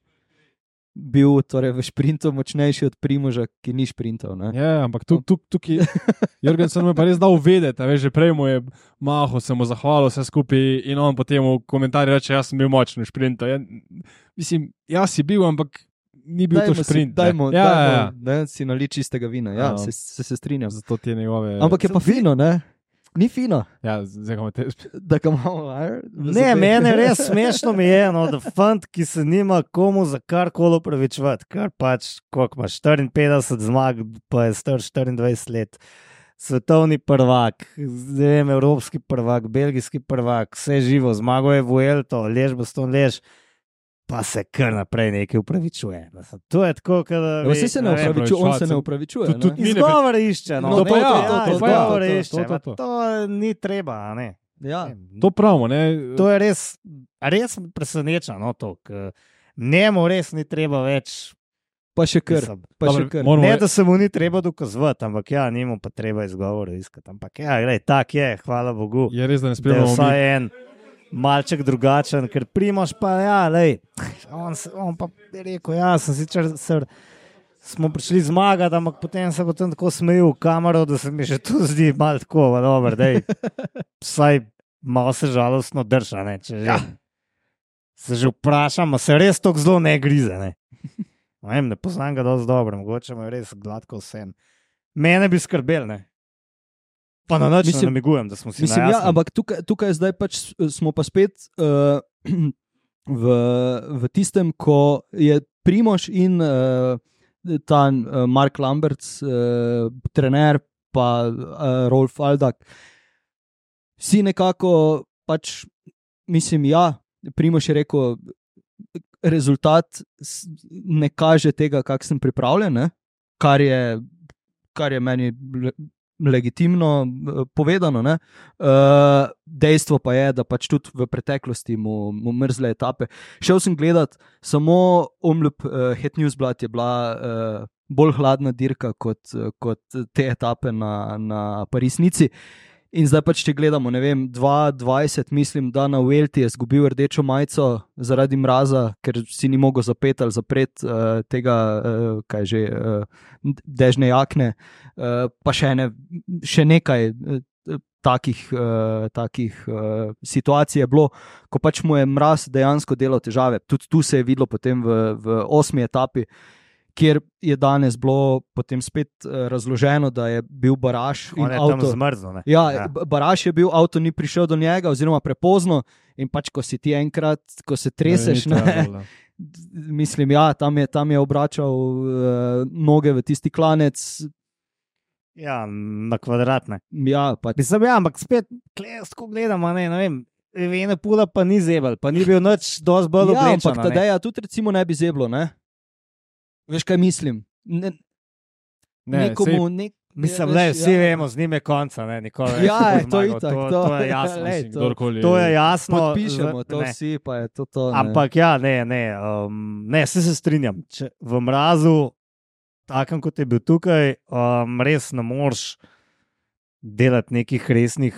bil torej, v šprintu močnejši od Primoža, ki ni šprintal. Ne? Ja, ampak tu, tu, tukaj, Jorgensen mu je pa res dal vedeti, a veš, že prej mu je mahal, se mu zahvalil vse skupaj in on potem v komentarju reče, jaz sem bil močen v šprintu. Ja, mislim, jaz si bil, ampak ni bil Dajmo to si- šprint. ne. Dajmo, ja, dajmo, ja, ja. ne, si nali čistega vina, ja, Ja. se, se, se strinjam. Zato ti je njegove. Ampak je pa fino, ne? Ni fino, Ja, zdaj ga imate. da ga imamo. a, v Ne, zobeh. meni res smešno mi je, no, da fant, ki se nima komu za karkoli upravičevati, kar pač, koliko imaš, štiriinpetdeset zmag, pa je star štiriindvajset let. Svetovni prvak, zdaj vem, evropski prvak, belgijski prvak, vse živo, zmago je Vuelto, lež bo ston lež. pa se kar naprej nekaj upravičuje. To je tako, da Vse se ne upravičuje, on se ne upravičuje. Tudi mi ne izgovor išče. No, No, to, to, ja, to, to, to, izgovor to, to, išče. to, to, to. To ni treba, a ne. Ja. To pravimo, ne? To je res, res preseneča, no, to, ker njemu res ni treba več. Pa še kar. Mislim, Pa še Dobro, kar. moramo- Ne, da se mu ni treba dokazovati, ampak ja, njemu pa treba izgovore iskati. Ampak ja, glej, tak je, hvala Bogu. Je res, da ne Da je spremljamo mi. vsaj en malček drugačen, ker Primož pa, ja, lej, on, se- on pa je rekel, ja, sem sicer, se, smo prišli zmagati, ampak potem se potem tako smejil v kamero, da se mi že tu zdi malo tako, pa dobro, dej, vsaj malo se žalostno drža, ne, če že, se že vprašam, a se res tako zelo ne grize, ne. Ne vem, ne poznam ga dosti dobro, mogoče mu je res gladko vse. Mene bi skrbel, ne. Pa na noč Mislim- ne namigujem, da smo si Mislim, na ja, jasnem. ampak tukaj, tukaj zdaj pač s- smo pa spet uh, v, v tistem, ko je Primož in uh, ta uh, Mark Lamberts, uh, trener, pa uh, Rolf Aldag, vsi nekako pač, mislim, ja, Primož je rekel, rezultat s- ne kaže tega, kak sem pripravljen, ne? Kar je, kar je meni le- legitimno eh, povedano. Ne? Uh, dejstvo pa je, da pač tudi v preteklosti mu, mu mrzle etape. Šel sem gledat, samo Omloop uh, Het Nieuwsblad je bila uh, bolj hladna dirka kot, uh, kot te etape na, na Parisnici. In zdaj pač, če gledamo, ne vem, dva tisoč dvajset, mislim, da na Vuelti je izgubil rdečo majico zaradi mraza, ker si ni mogel zapeti ali zapreti uh, tega, uh, kaj že, uh, dežne jakne, uh, pa še, ene, še nekaj uh, takih, uh, takih uh, situacij je bilo, ko pač mu je mraz dejansko delal težave. Tudi tu se je videlo potem v, v osmi etapi, kjer je danes bilo potem spet uh, razloženo, da je bil baraž in On je tam avto. zmrznil, ne. Ja, Ja. ja. Baraž je bil, avto ni prišel do njega, oziroma prepozno. In pač, ko si ti enkrat, ko se treseš, Ne, ni ne, trebalo. mislim, ja, tam je, tam je obračal uh, noge v tisti klanec. Ja, na kvadratne. Ja, pač, Mislim, ja, ampak spet, ko gledamo, ne, ne vem, Vene Pula pa ni zebel, pa ni bil nič dosti bolj ja, oblečen. ampak Tadeja tudi recimo ne bi zeblo, ne? Veš, kaj mislim? Ne, Ne, nekomu, nek, Mislim, veš, ne, vsi ja. vemo, z njim je konca, ne, nikoli več Ja, ne bo je to zmagal, itak, to, to- to je jasno. Lej, Mislim, to- kdorkoli- To je jasno. Podpišemo v- to ne. vsi, pa je to to. Ne. Ampak ja, ne, ne, um, ne, se, se strinjam. Če v mrazu, takem kot je bil tukaj, um, res ne moreš delati nekih resnih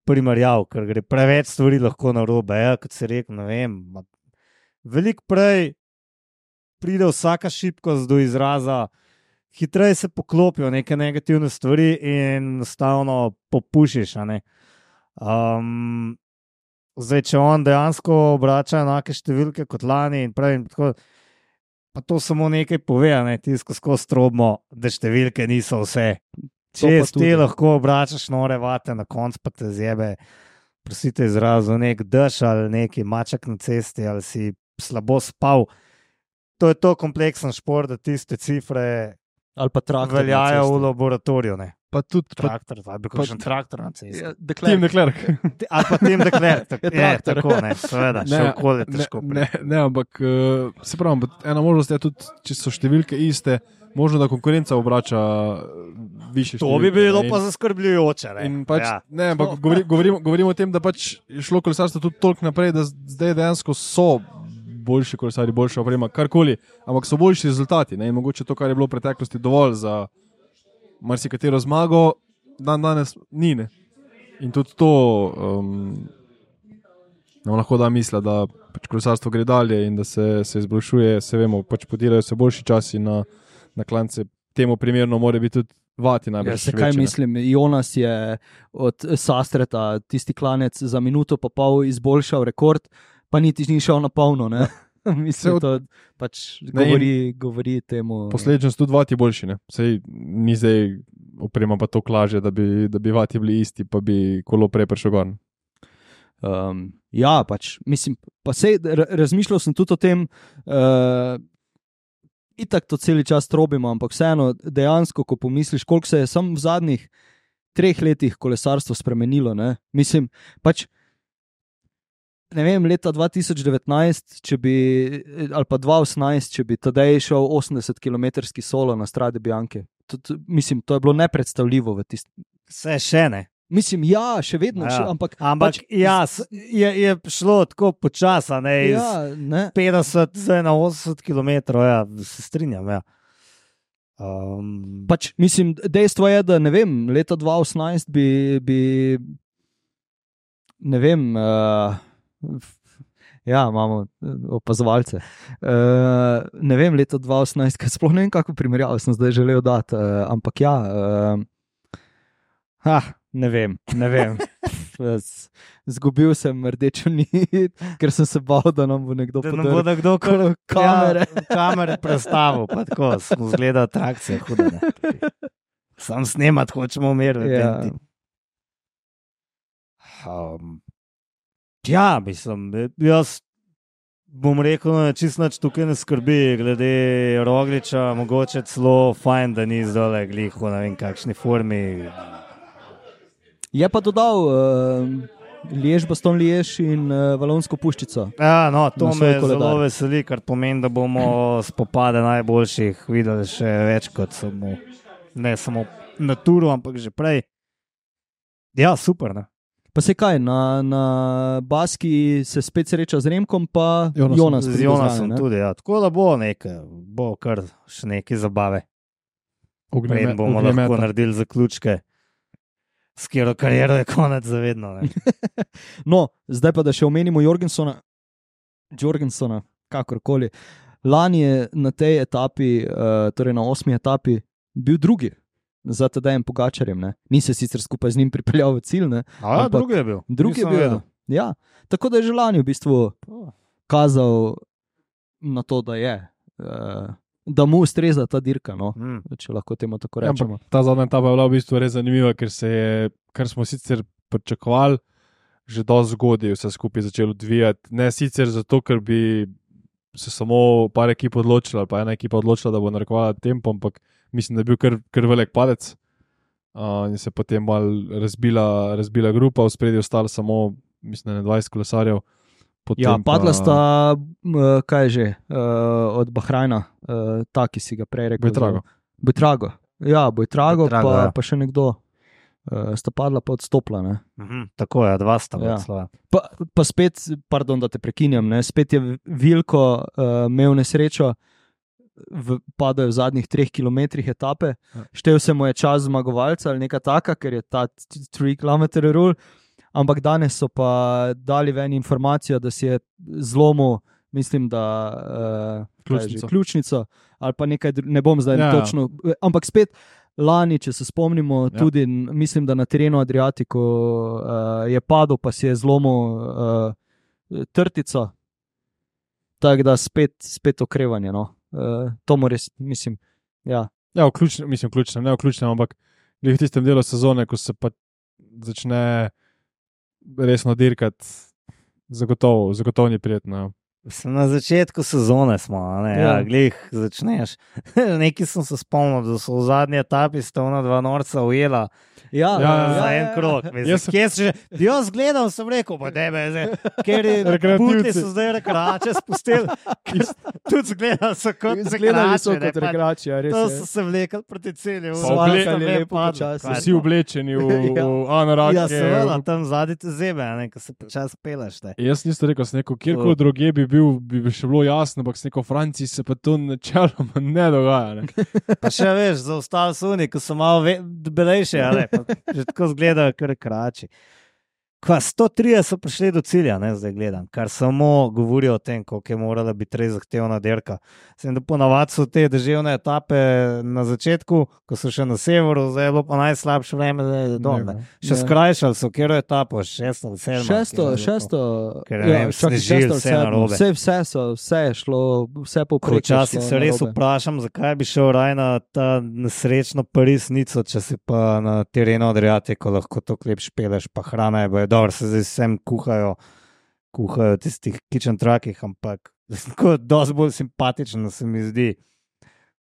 primerjav, ker gre preveč stvari lahko na robe. Ja, kot se reče, ne vem. ma- Veliko prej pride vsaka šibkost do izraza, hitreje se poklopijo neke negativne stvari in enostavno popušiš. a ne. Um, zdaj, če on dejansko obrača enake številke kot lani, in pravim, tako, pa to samo nekaj pove, a ne tisto skozi strobmo, da številke niso vse. To Če pa ti tudi. lahko obračaš nore vate, na koncu pa te zjebe, prosite izrazu, nek dež ali neki maček na cesti, ali si slabo spal. To je to kompleksen šport, da tiste cifre Ali pa traktor. na veljajo cesti. v laboratoriju. Ne. Pa tudi pa, Traktor, ali bi kakšen traktor na cesti. Ja, Tim Declerc. Declerc. Ali pa tem dekler, tak, Je je, traktor. tako, ne, seveda, še Ne, okolje ne, težko. ne, ne, ampak uh, se pravi, ampak ena možnost je tudi, če so številke iste, možno da konkurenca obrača uh, više To številke. bi bilo ne, in- pa zaskrbljujoče. Ne. In pač, ja. ne, ampak govori, govorimo, govorimo o tem, da pač je šlo kolesarstvo tudi toliko naprej, da zdaj dejansko so boljši kolesari, boljša oprema, karkoli, ampak so boljši rezultati. Ne, in mogoče to, kar je bilo v preteklosti dovolj za marsikatero zmago, dan danes ni. Ne. In tudi to um, nam lahko da misla, da pač kolesarstvo gre dalje in da se, se izboljšuje, se vemo, pač podirajo se boljši časi na, na klance. Temu primerno mora biti tudi vati najbolj. Ja, se kaj mislim, Jonas je od Sastreta tisti klanec za minuto pa pol izboljšal rekord, pa niti ni šel na polno. ne. Mislim, od- to pač Ne, in- govori, govori temu. Posledično so tudi vati boljši. Ne? Sej ni zdaj oprema pa to klaže, da bi, da bi vati bili isti, pa bi kolo prej prišel gor. Um, ja, pač, mislim, pa sej, r- razmišljal sem tudi o tem, uh, itak to cel čas trobimo, ampak vseeno, dejansko, ko pomisliš, koliko se je samo v zadnjih treh letih kolesarstvo spremenilo. Ne? Mislim, pač ne vem, leta dva tisoč devetnajst, če bi, ali pa dva tisoč osemnajst, če bi Tadej šel osemdeset kilometrski solo na Strade Bianche. To, to, mislim, to je bilo nepredstavljivo v tistem. Vse še ne. Mislim, ja, še vedno, Ja. še, ampak, Ampak pač, ja, s- je, je šlo tako počasa, ne, iz ja, ne. petdeset zdaj na osemdeset kilometrov, ja, se strinjam. Ja. Um, Pač, mislim, dejstvo je, da ne vem, leta dva tisoč osemnajst bi, bi ne vem, uh, ja, imamo eh, opazovalce. Uh, ne vem, leta dva tisoč osemnajst, kaj sploh ne vem, kako primerjavo sem zdaj želel dati, uh, ampak ja, uh, ha, ne vem, ne vem. Z- Zgubil sem rdečo nit, ker sem se bal, da nam bo nekdo da nam podrl bo nekdo kar kamere. Ja, kamere predstavil, pa tako smo zgleda atrakcije, huda. Ne. Sam snemat hočemo umiriti. Ja. Um, ja, mislim, jaz bom rekel, da čist nič tukaj ne skrbi, glede Rogliča, mogoče celo fajn, da ni zdole glih v ne vem kakšni formi. Je pa dodal uh, Liež, Baston Liež in uh, Valonsko puščico. Ja, no, to Na me svoj zelo koledar. veseli, kar pomeni, da bomo spopade najboljših videli še več kot samo, ne samo na turu, ampak že prej. Ja, super. Ne? Pa se kaj, na, na Baski se spet sreča z Remkom, pa Jonasom. Jonas. Z pride Jonasom zraven, ne? tudi, ja. Tako da bo nekaj, bo kar še nekaj zabave. Preden bomo Ognjemeta. lahko naredili zaključke, s katero kariero je konec zavedno. Ne? No, zdaj pa da še omenimo Jorgensona, Jorgensona, kakorkoli. Lani je na tej etapi, uh, torej na osmi etapi, bil drugi za Tadejem Pogačarjem. Ne? Ni se sicer skupaj z njim pripeljal v cilj, ne? A, ja, Ampak drugi je bil. drugi je Nisem bil. vedel. Ja, tako da je že lani v bistvu kazal na to, da je, uh, da mu ustreza ta dirka, no? Mm. Če lahko temu tako Ja, rečemo. ampak ta zadnja etapa je bila v bistvu res zanimiva, ker, se je, kar smo sicer pričakovali, že dosti zgodaj vse skupaj začelo odvijati. Ne sicer zato, ker bi se samo par ekip odločila, ali pa ena ekipa odločila, da bo narekovala tempo, ampak mislim, da je bil kar, kar velik padec. Uh, in se potem mal razbila, razbila grupa, v spredju ostalo samo, mislim, da ne dvajset kolesarjev. Potem Ja, padla pa- sta, uh, kaj je že, uh, od Bahrajna, uh, ta, ki si ga prej rekel. Bojtrago. Bojtrago. Ja, Bojtrago, Bojtrago, pa, ja. pa še nekdo. Uh, sta padla, pa odstopila. Ne? Mhm, tako je, dva sta bila Ja. slova. Pa, pa spet, pardon, da te prekinjam, ne? Spet je Vilko uh, imel nesrečo, v, padel je v zadnjih treh kilometrih etape, Ja. štev se mu je čas zmagovalca ali nekaj taka, ker je ta tri kilometre rule. Ampak danes so pa dali ven informacijo, da si je zlomil, mislim, da uh, Ključnico. ključnico, ali pa nekaj, dru- ne bom zdaj Ja, ja, ja. točno. Ampak spet lani, če se spomnimo, Ja. ja. tudi n- mislim, da na terenu Adriatiku uh, je padel, pa si je zlomil uh, trtico. Tako da spet, spet okrevanje. No. Uh, to mu res, mislim, ja. Ja, vključno, mislim, vključno, ne vključno, ampak glih v tistem delu sezone, ko se pa začne resno dirkati, zagotovo, zagotovo ni prijetno. Mislim, na začetku sezone smo, a ne, ja. Ja. Ja, glih začneš. Nekaj sem se spomnil, da so v zadnji etapi sta ona dva norca ujela Ja, Ja, ja, za ja, en krog. Mislim, Jaz sem- kje si že? Jaz gledal, sem rekel, pa tebe, ker je Rekreativci. putli so zdaj rekreače spustili. Tudi zgledal so kot Izgledali so rekreače, ne, kot pač rekreacija, res To je. so se vlekli proti cilju. Pa Svalkali oble- lepo lepo padlo. počasi. Kaj Vsi to? oblečeni v, Ja. v anorake. Ja, seveda, tam zadnji te zebe, a ne, ko se počasi peleš. Ne. Jaz nisem rekel, sem rekel, kjerkoli drugje bi bil, bi bi še bilo jasno, ampak sem rekel, v Franciji se pa to načeloma ne dogaja. Ne? Pa še veš, za ostale suni, ko so malo ve- debelejši, ali pa že tako zgledajo, kar krači. Kva, sto trideset so prišli do cilja, ne, zdaj gledam, kar samo govori o tem, koliko je morala biti res zahtevna dirka. Sem da ponavadi so te deževne etape na začetku, ko so še na severu, zdaj je bilo pa najslabše vreme, zdaj je dol. ne. Še Ja. skrajšali so, kjer je etapo, šesto ali sedmo. Šesto, kjer je bilo. šesto, Ker, ne vem, čakaj, snežili, šesto ali vse sedmo. narobe. Vse, vse, so, vse je šlo, vse povprek. je Včasih šlo se res narobe. vprašam, zakaj bi šel raj na ta nesrečno Pariz-Nico, če si pa na terenu Adriatiku lahko to klep špeleš, pa hrana je boje. Dobro, se zdaj vsem kuhajo, kuhajo v tistih kitchen truckih, ampak tako dosti bolj simpatično se mi zdi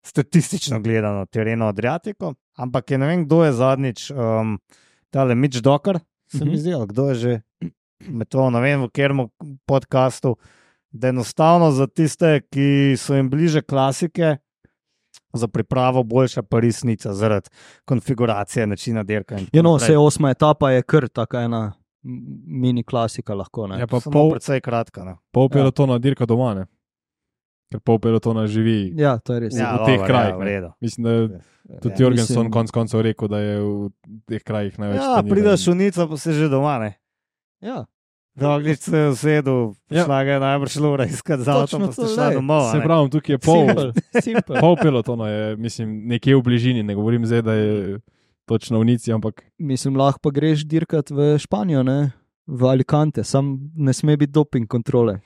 statistično gledano terenu Adriatiku. Ampak je ne vem, kdo je zadnjič, um, tale Mitch Docker, se mi Mhm. zdi, ali kdo je že. med to, ne vem, v katerem podkastu, da enostavno za tiste, ki so jim bliže klasike, za pripravo boljša pa resnica zaradi konfiguracije načina dirka. Ja, no, vse osma etapa je kar taka ena mini klasika lahko. Ne? Ja, pa Samo pol, precej kratka. Ne? pol pelotona dirka doma, ne? Ker pol pelotona živi Ja, to je res. v, Ja, v teh dobro, krajih. ja, v ne. redu. Mislim, da tudi Ja, Jorgensen mislim- konc koncev rekel, da je v teh krajih največ. Ja, treniral. prideš v Nico, pa si že doma, ne? Ja. Doglič se je usedel, Ja. šla ga je najbrž lura iskati za avtom, Točno pa to, sta šla glej. domov. a Se ne. pravi, tukaj je pol, Simple, simple. pol pelotona, je, mislim, nekje v bližini, ne govorim zdaj, da je točno v Nici, ampak Mislim, lahko pa greš dirkat v Španijo, ne? V Alicante, sam ne sme biti doping kontrole.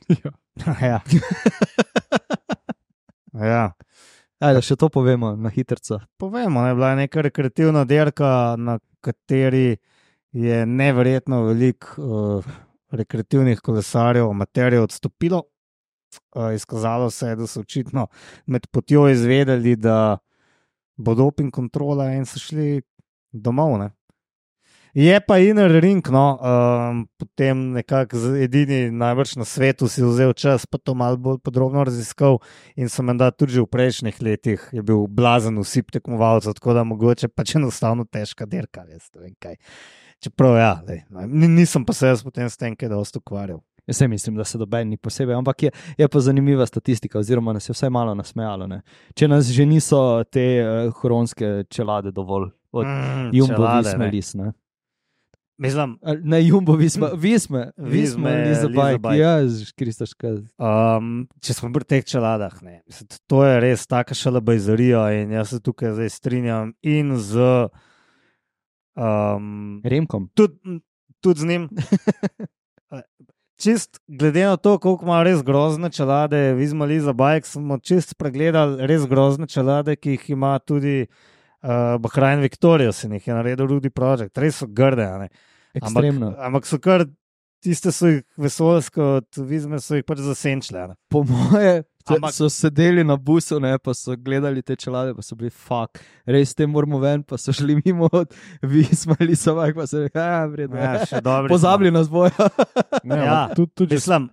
Ja. Ja. Ajde, še to povemo na hitrca. Povemo, da je bila neka rekreativna dirka, na kateri je neverjetno veliko uh, rekreativnih kolesarjev, amaterjev odstopilo. Uh, izkazalo se je, da so očitno med potjo izvedeli, da bo doping kontrola in so šli domov. Ne? Je pa inner ring, no, um, potem nekako z- edini najbrž na svetu si vzel čas, pa to malo bolj podrobno raziskal in so menda tudi že v prejšnjih letih je bil blazen usip tekmovalcev, tako da mogoče pač enostavno težka dirka, jaz ne vem kaj. Čeprav ja, lej, ni- nisem pa se jaz potem s tem kaj dosti ukvarjal. Jaz se mislim, da se doben ni posebej, ampak je, je pa zanimiva statistika, oziroma nas je vsaj malo nasmejalo. Ne? Če nas že niso te uh, huronske čelade dovolj, od Mm, Jumbo, čelade, Visma, ne. Lis, ne? Mislim, Ali Ne, Jumbo, Visma, Visma, Visma, Visma, Liza Liza Bajk, Bajk. ja, Kristoška. Um, če smo pri teh čeladah, ne, mislim, to je res taka šalabajzarija in jaz se tukaj zdaj strinjam in z um, Remkom. tudi, tudi z njim. Čist glede na to, koliko ima res grozne čelade, Visma Liza Bajk, smo čist pregledali res grozne čelade, ki jih ima tudi uh, Bahrain Victoria, se jih je naredil Rudy Project, res so grde. a ne. Ekstremno. Ampak, ampak so kar tiste so jih vesoljske, od Vizme so jih pač zasenčile. a ne. Po moje Ampak- Ampak... so sedeli na busu, ne, pa so gledali te čelade, pa so bili fuk, res te moramo ven, pa so šli mimo od Visma, Liza Bajk, pa so rekli, ja, vredno. Ja, še dobri Pozabili nas bojo. ne, Ja, ampak tudi, tudi že Mislim,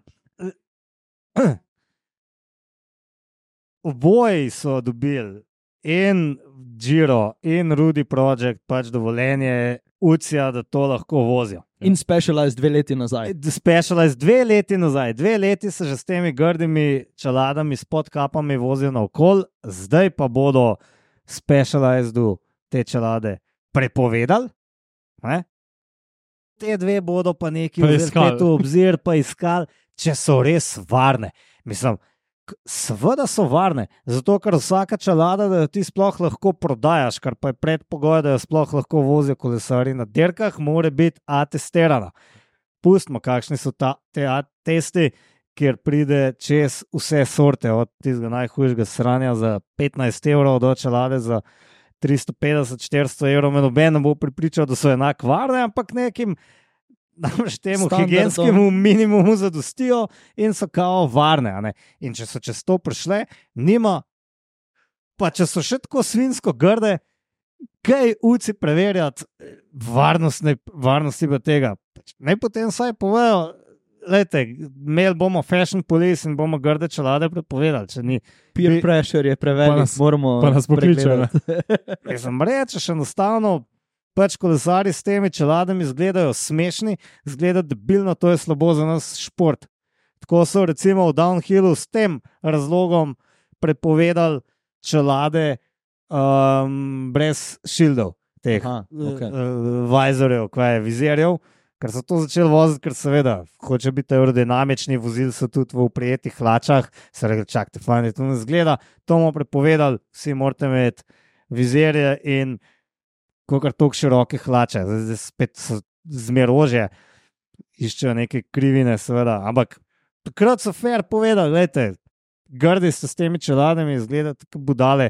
oboji so dobili in Giro in Rudy Project pač dovoljenje Ucija, da to lahko vozijo. In specialized dve leti nazaj. Specialized dve leti nazaj, dve leti se že s temi grdimi čeladami, s podkapami vozijo naokol, zdaj pa bodo specializedu te čelade prepovedali. Ne? Te dve bodo pa neki Pa vzeli iskali. spet v obzir, pa iskali, če so res varne. Mislim, k- seveda so varne, zato ker vsaka čelada, da jo ti sploh lahko prodajaš, kar pa je predpogoj, da jo sploh lahko vozijo kolesarji na dirkah, mora biti atestirana. Pustimo, kakšni so ta, te A testi, kjer pride čez vse sorte, od tistega najhujšega sranja za petnajst evrov do čelade za tristo petdeset do štiristo evrov. Me noben ne bo pripričal, da so enako varne, ampak nekim namreč temu Standardom. higienskemu minimumu zadostijo in so kao varne. a ne. In če so čez to prišle, nima, pa če so še tako svinsko grde, kaj uci preverjati varnostne, varnosti pa tega. Pač naj potem vsaj povejo, lejte, imeli bomo fashion police in bomo grde čelade prepovedali, če ni. Peer Bi- pressure je Pa prevelik, nas- moramo pa nas pokličejo, ne. pregledati. Jaz sem rečeš, enostavno, pač kolesari s temi čeladami izgledajo smešni, izgleda debilno, to je slabo za nas šport. Tako so recimo v downhillu s tem razlogom prepovedali čelade um, brez šildov, teh Aha, okej. uh, vizorjev, kaj je vizerjev. Ker so to začeli voziti, ker seveda hoče biti aerodinamični, vozili so tudi v prijetih hlačah, se reče, čakajte, fajn, to ne zgleda, to bomo prepovedali, vsi morate imeti vizerje in kakor toliko široke hlače, zdaj, zdaj spet so zmerože, iščejo neke krivine, seveda, ampak takrat so fair povedali, gledajte, grdi ste s temi čeladami, izgledate kot budale,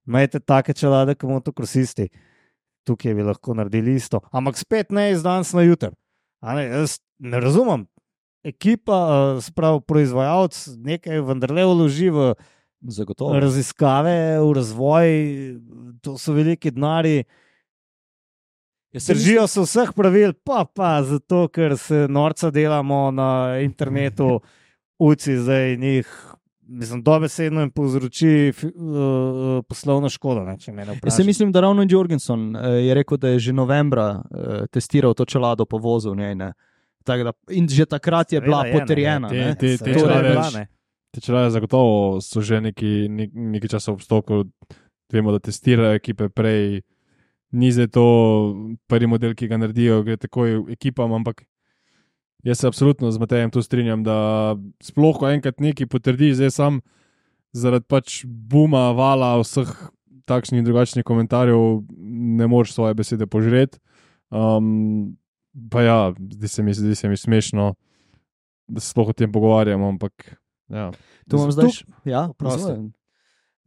imejte take čelade, kot motokrosisti. Tukaj bi lahko naredili isto, ampak spet ne iz danes na jutr. A Ne, jaz ne razumem. Ekipa, eh, sprav proizvajalec, nekaj vendarle vloži v Zagotovo. raziskave, v razvoj, to so veliki denari. Držijo se vseh pravil, pa pa zato, ker se norca delamo na internetu, uci zdaj njih. Mislim, dobesedno jim povzroči uh, poslovno škodo. Ne, če me ne Jaz mislim, da ravno Jorgensen uh, je rekel, da je že novembra uh, testiral to čelado po vozu. Ne, ne. Da, in že takrat je Seveda bila je, potrjena. Ne, ne. Te, te, te, te, te čelade zagotovo so že neki, neki čas v obstoku. Vemo, da testirajo ekipe prej. Ni zdaj to prvi model, ki ga naredijo, gre takoj ekipam, ampak jaz se absolutno z Matejem tu strinjam, da sploh, ko enkrat nekaj potrdi, zdaj sam zaradi pač buma, vala, vseh takšnih in drugačnih komentarjev ne moreš svoje besede požreti. Um, pa ja, zdi se mi, zdi se mi smešno, da se sploh o tem pogovarjamo, ampak ja. Tu imam zdaj, tuk, ja, prosto.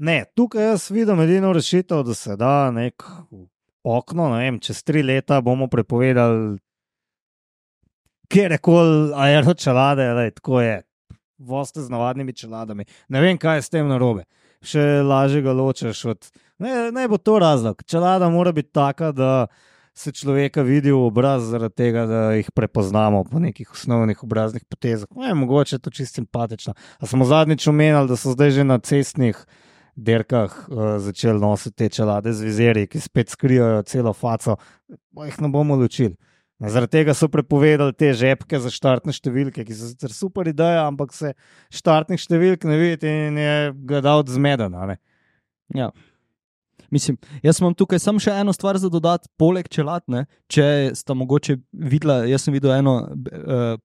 Ne, tukaj jaz vidim edino rešitev, da se da nek okno, ne vem, čez tri leta bomo prepovedali kjerkoli aero čelade, lej, tako je, voste z navadnimi čeladami. Ne vem, kaj je s tem narobe. Še lažje ga ločeš od... Ne, ne bo to razlog. Čelada mora biti taka, da se človeka vidi v obraz zaradi tega, da jih prepoznamo po nekih osnovnih obraznih potezah. Ne, mogoče je to čisto simpatično. A smo zadnjič omenjali, da so zdaj že na cestnih derkah uh, začeli nositi te čelade z vizerji, ki spet skrijajo celo faco. Pa jih ne bomo ločili. Zaradi tega so prepovedali te žepke za štartne številke, ki so sicer super ideja, ampak se štartnih številk ne vidi in je gledalec zmeden. Ja. Mislim, jaz imam tukaj samo še eno stvar za dodati, poleg čelad, ne? Če sta mogoče videla, jaz sem videl eno uh,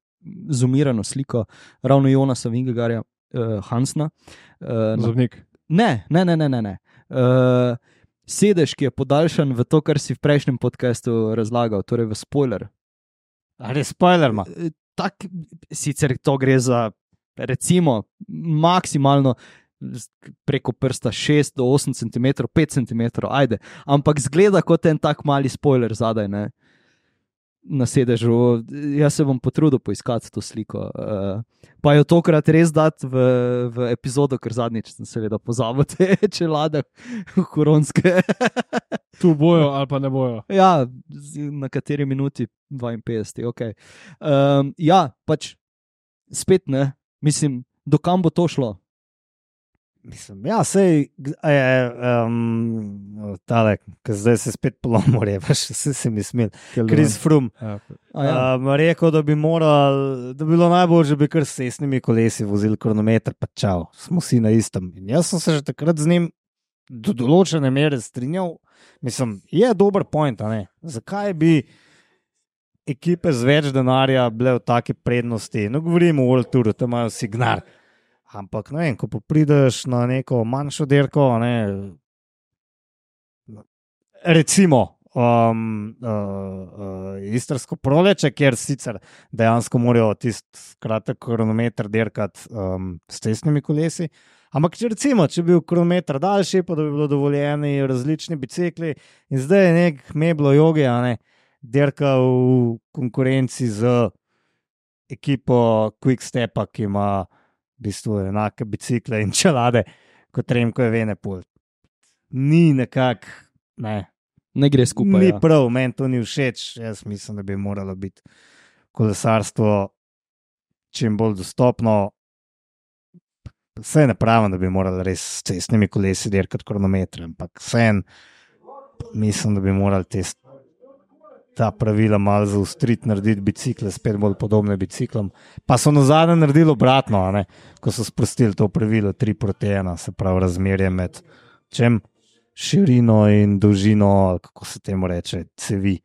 zoomirano sliko ravno Jonasa Vingegaarda uh, Hansna. Uh, Zobnik. Ne, ne, ne, ne, ne. Uh, Sedež, ki je podaljšan v to, kar si v prejšnjem podcastu razlagal, torej v spoiler. Ali spoiler ima? Tak, sicer to gre za, recimo, maksimalno preko prsta šest do osem centimetrov, pet centimetrov, ajde. Ampak zgleda kot en tak mali spoiler zadaj, ne? Na sedežu. Jaz se bom potrudil poiskati to sliko. Uh, pa jo tokrat res dati v, v epizodo, ker zadnjič sem seveda pozabil te čelade koronske. Tu bojo ali pa ne bojo. Ja, na kateri minuti? dvainpetdeseti, ok. Um, ja, pač spet ne. Mislim, do kam bo to šlo? Mislim, ja, sej, um, tale, ki zdaj se spet polomor je, pa še se, se mi smil, Chris Froome, ja. um, rekel, da bi moral, da bi bilo najbolj, že bi kar s cestnimi kolesi vozil kronometer, pa čau, smo vsi na istem. In jaz sem se že takrat z njim do določene mere strinjal, mislim, je dober point, a ne? Zakaj bi ekipe z več denarja bile v take prednosti? No, govorimo o World Touru, tam imajo signal. Ampak, ne vem, ko prideš na neko manjšo derko, ne, recimo um, uh, uh, istrsko proleče, kjer sicer dejansko morajo tisti kratek kronometer derkati um, s cestnimi kolesi, ampak če recimo, če bi bil kronometer daljši, pa da bi bilo dovoljeni različni bicikli in zdaj je nek Meblo Jogi, a ne, derka v konkurenci z ekipo Quickstepa, ki ima v bistvu enake bicikle in čelade kot Remco Evenepoel. Ni nekako, ne. Ne gre skupaj. Ni ja. prav, meni to ni všeč. Jaz mislim, da bi moralo biti kolesarstvo čim bolj dostopno. Vse ne pravim, da bi morali res s cestnimi kolesi dirkati kronometre, ampak vsem mislim, da bi morali te ta pravila malo zaustriti, narediti bicikle, spet bolj podobne biciklom. Pa so na zadnje naredili obratno, a ne? Ko so sprostili to pravilo tri proti ena, se pravi razmerje med čem širino in dolžino, kako se temu reče, cevi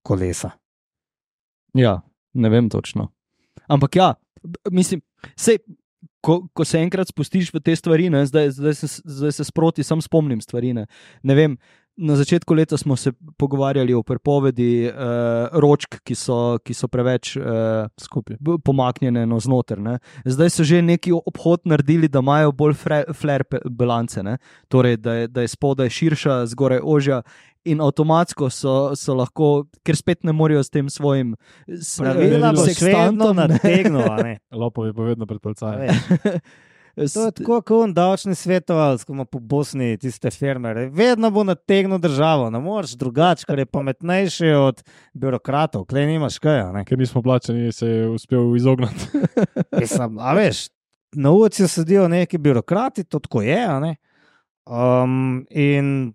kolesa. Ja, ne vem točno. Ampak ja, mislim, sej, ko, ko se enkrat spustiš v te stvari, ne, zdaj, zdaj, se, zdaj se sproti sam spomnim stvari, ne, ne vem. Na začetku leta smo se pogovarjali o prepovedi uh, ročk, ki so, ki so preveč uh, skupaj pomaknjene navznoter. Ne. Zdaj so že neki obhod naredili, da imajo bolj flare bilance, ne. Torej, da je, da je spodaj širša, zgoraj ožja in avtomatsko so, so lahko, ker spet ne morejo s tem svojim pravila bo še vedno nategnilo. Lopovi bo vedno pred policajem. To je tako, kot on davčni svetovalec, ko ima po Bosni tiste fermere. Vedno bo nategnil državo, ne moreš drugače, ker je pametnejši od birokratov. Klej nimaš kaj, ne? Ker nismo plačani, se je uspel izogniti. Mislim, a veš, na ulici sedijo neki birokrati, to tako je, a ne? Um, in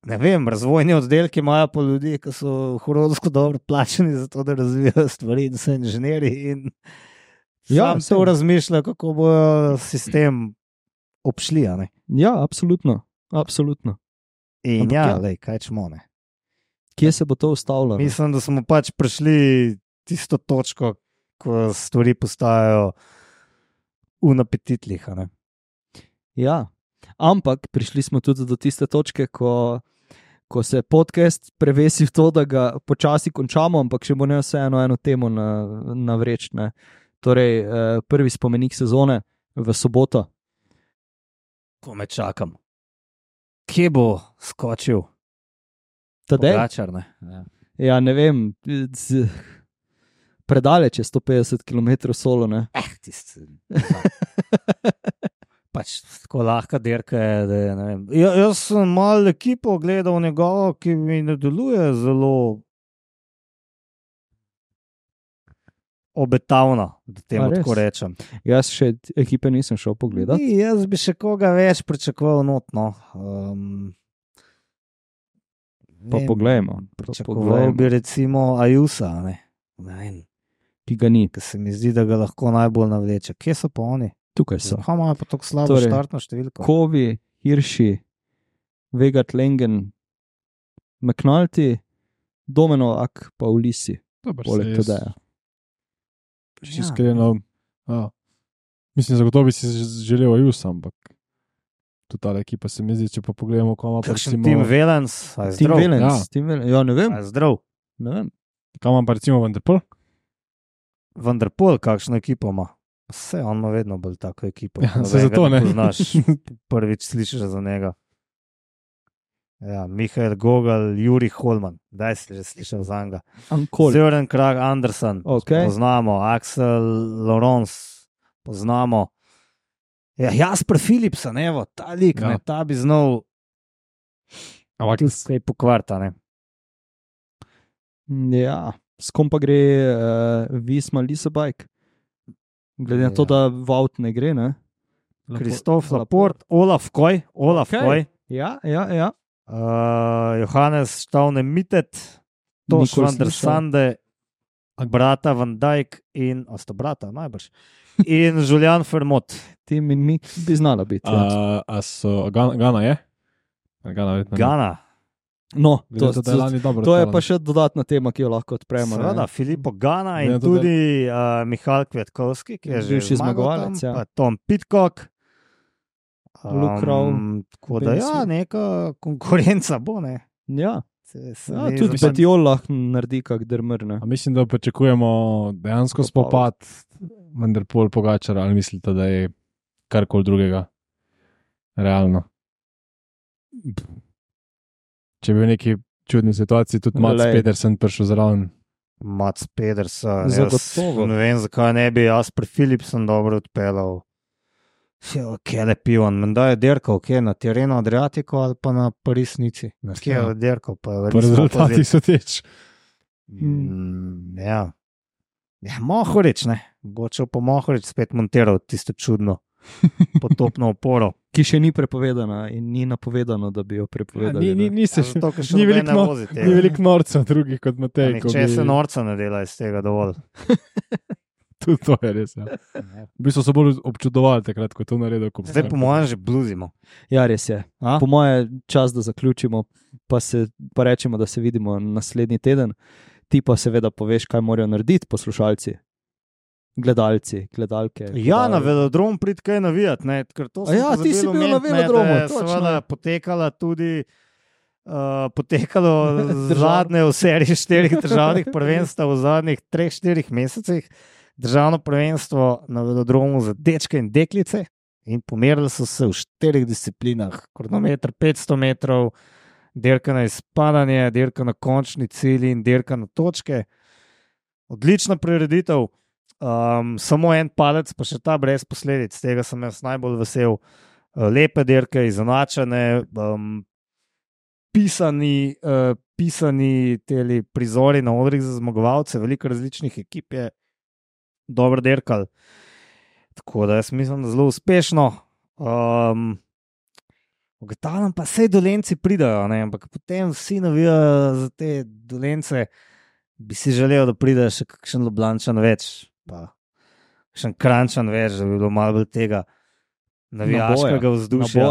ne vem, razvojni oddelki imajo pa ljudi, ki so huronsko dobro plačani za to, da razvijajo stvari in so inženirji in Ja, sam to razmišljajo, kako bojo sistem obšli, a ne? Ja, absolutno. absolutno. In Ampak ja, ja. lej, kaj čemo, ne? Kje se bo to ustavilo? ne? Mislim, da smo pač prišli tisto točko, ko stvari postajajo unapetitlih, a ne? Ja, ampak prišli smo tudi do tiste točke, ko, ko se podcast prevesi v to, da ga počasi končamo, ampak še bo ne vseeno eno temo na, na vreč. Ne. Torej, eh, prvi spomenik sezone v soboto. Ko me čakam. Kje bo skočil? Tadej? Pogačar, ne? Ja. Ja, ne vem, z, predaleč je sto petdeset kilometrov solo. Ne. Eh, tisti. Pač tako lahka dirka je, da je, ne vem. Ja, jaz sem malo ekipo gledal njegovo, ki mi ne deluje zelo obetavno, da A temu res? tako rečem. Jaz še ekipe nisem šel pogledati. Ni, jaz bi še koga več pričakoval notno. Um, Pa poglejmo, pa Pričakoval poglejmo. bi recimo Ajusa, ne? Ne vem, Ki ga ni. ki se mi zdi, da ga lahko najbolj navleče. Kje so pa oni? Tukaj so. Zakaj imajo pa tako slabo Torej, štartno številko? Kovi, Hirši, Vegat Lengen, McNulty, Domenovak, pa Ulisi, poleg Tadeja. Čisto iskreno. Ja. Mislim, zagotovo bi si želel Ajus, ampak tudi ta ekipa se mi zdi, če pa pogledamo, kam ima pa Kakšen recimo, Tim Velens, a je Tim zdrav? Velens, Ja. Tim Velens, ja, ne vem, A je zdrav? ne vem. kam ima pa recimo Van der Poel. Vanderpool, kakšno ekipo ima? Vse, on ima vedno bolj tako ekipo. Ja, Nobenega saj zato ne. Poznaš, prvič slišiš za njega. Ja, Mihael Gogol, Juri Holman, daj si že slišal za njega. Ankol. Søren Krag Andersen, Okay. poznamo, Axel Laurence, poznamo. Ja, Jasper Philipsen, evo, ta lik, Ja. ne, ta bi znal Ampak tudi kaj pokvarta, ne. Ja, s kom pa gre uh, Visma Lisabajk? Glede na to, Ja. da Vaut ne gre, ne? Kristof Laporte, Olaf Koj, Olaf Okej. Koj, Ja, ja, ja. uh, Johannes Stavne Mitet, Toš Nikoli van der slišal. Sande, brata Van Dijk in, a sta brata, najbrž, in Julian Fermot. Tim in mi bi znala biti. Ja. A, a so, Gana, Gana je? Gana, verjetno ne. Gana, No, Glede to, na to, da je to, lani dobro to je odpeljal. pa še dodatna tema, ki jo lahko odpremo. ne. seveda, Filipo Gana in Ne, to da- tudi uh, Mihajl Kvetkovski, ki je že Bivši zmagal zmagovalec, tam, ja. pa Tom Pitcock. Luke Rowe, Tako da Ben ja, Smith. neka konkurenca bo, ne. Ja, Se, se ja mi tudi zdi- Petiol lahko naredi kak drmrne. A mislim, da pričakujemo dejansko spopad Van der Poel Pogačar, ali mislite, da je karkoli drugega realno? Če bi v neki čudni situaciji tudi Mats Glej. Pedersen prišel zraven. Mats Pedersen. Zagotovo. Jaz ne vem, zakaj ne bi Jasper Philipsen dobro odpeljal. Kje je pivan, menda je dirkal, kje na terenu Adriatico ali pa na Parisnici. Kje je dirkal, pa je Po rezultatih so teč. Mm, ja. Ja, Mohorič, ne. Bočev pa Mohorič spet montiral tisto čudno potopno oporo. Ki še ni prepovedana in ni napovedano, da bi jo prepovedali. Ni, ni, ne. ni, se, Ja, zato, ker še ni noben veliko ne no- vozi tega. ni veliko norcev drugih kot Pa Matej. ko Nihče bi- se norca ne dela iz tega dovolj. Tudi to je res. Ja. V bistvu so bolj občudovali takrat, ko je to naredil. Ko Zdaj po mojem že bluzimo. Ja, res je. A? Po moje čas, da zaključimo, pa, se, pa rečemo, da se vidimo naslednji teden. Ti pa seveda poveš, kaj morajo narediti poslušalci, gledalci, gledalke. Ja, na gledal- velodrom prid kaj navijati, ne, ker to A sem ja, pozabil ti si bil na omeniti, ne, velodromu, da je točno. seveda potekala tudi uh, potekalo Državno. zadnje v seriji štirih državnih prvenstev v zadnjih treh, štirih mesecih. Državno prvenstvo na velodromu za dečke in deklice in pomerili so se v štirih disciplinah. Kronometer petsto metrov, dirka na izpadanje, dirka na končni cilj in dirka na točke. Odlična prireditev. Um, samo en palec, pa še ta brez posledic, tega sem jaz najbolj vesel. Uh, lepe dirke, izenačene, um, pisani, uh, pisani teli prizori na odrih za zmagovalce, veliko različnih ekip je dobro dirkal. Tako da jaz mislim, da zelo uspešno. Um, Ugotavljam pa, vse dolenci pridajo, ne? Ampak potem vsi navijajo za te dolence. Bi si želel, da pride še kakšen Ljubljančan več, pa kakšen Kranjčan več, da bi bilo malo bolj tega navijaškega vzdušja.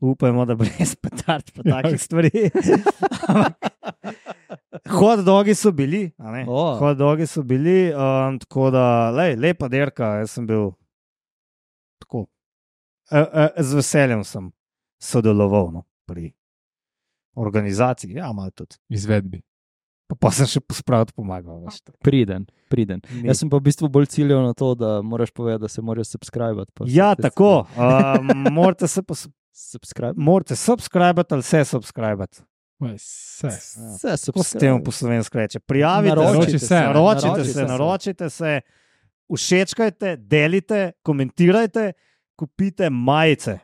Upajmo, da brez petard pa takih stvari. Hot dogi so bili, a ne? Oh. Hot dogi so bili, um, tako da, lej, lepa dirka, jaz sem bil tako, e, e, z veseljem sem sodeloval, no, pri organizaciji, ja, malo tudi. Izvedbi. Pa, pa sem še pospraviti pomagal. Priden, priden. Ni. Jaz sem pa v bistvu bolj ciljal na to, da moraš povedati, da se moraš subskrbati. Ja, tako. Um, morate se pa subscribe. Morate subskrbati ali se subskrbati. Vse. Vse Kako se temu po slovensko reče? Prijavite Naroči se, se, naročite naroči se, se. naročite se, všečkajte, delite, komentirajte, kupite majice.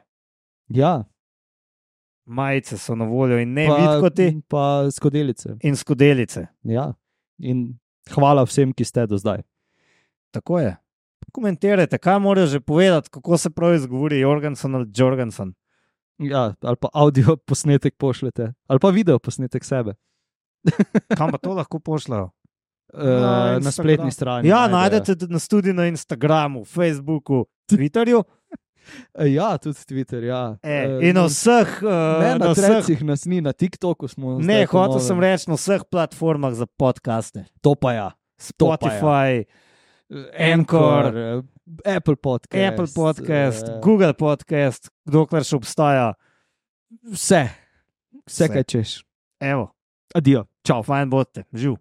Ja. Majice so na voljo in ne Pa- vidkoti Pa skodelice. in skodelice. Ja. In hvala vsem, ki ste do zdaj. Tako je. Komentirajte, kaj morajo že povedati, kako se prav izgovori Jorgensen ali Jorgensen. Ja, ali pa audio posnetek pošljete, ali pa video posnetek sebe. Kam pa to lahko pošljajo? Uh, Na na Instagram. spletni strani. Ja, najdejo. najdete nas tudi na Instagramu, Facebooku, Twitterju. Eh, Ja, tudi Twitter. Ja. E, Eh, in na vseh, uh, ne, na na vseh trecih nas ni, na TikToku smo. ne, zdaj po hotel novem. sem reči na vseh platformah za podcaste. To pa ja. To pa ja. Spotify, Anchor, eh, Apple Podcast. Apple Podcast, eh, Google Podcast, dokler še obstaja. Vse. Vse, Vse. kaj češ. Evo, Adijo. Čau. fajn bote, živ.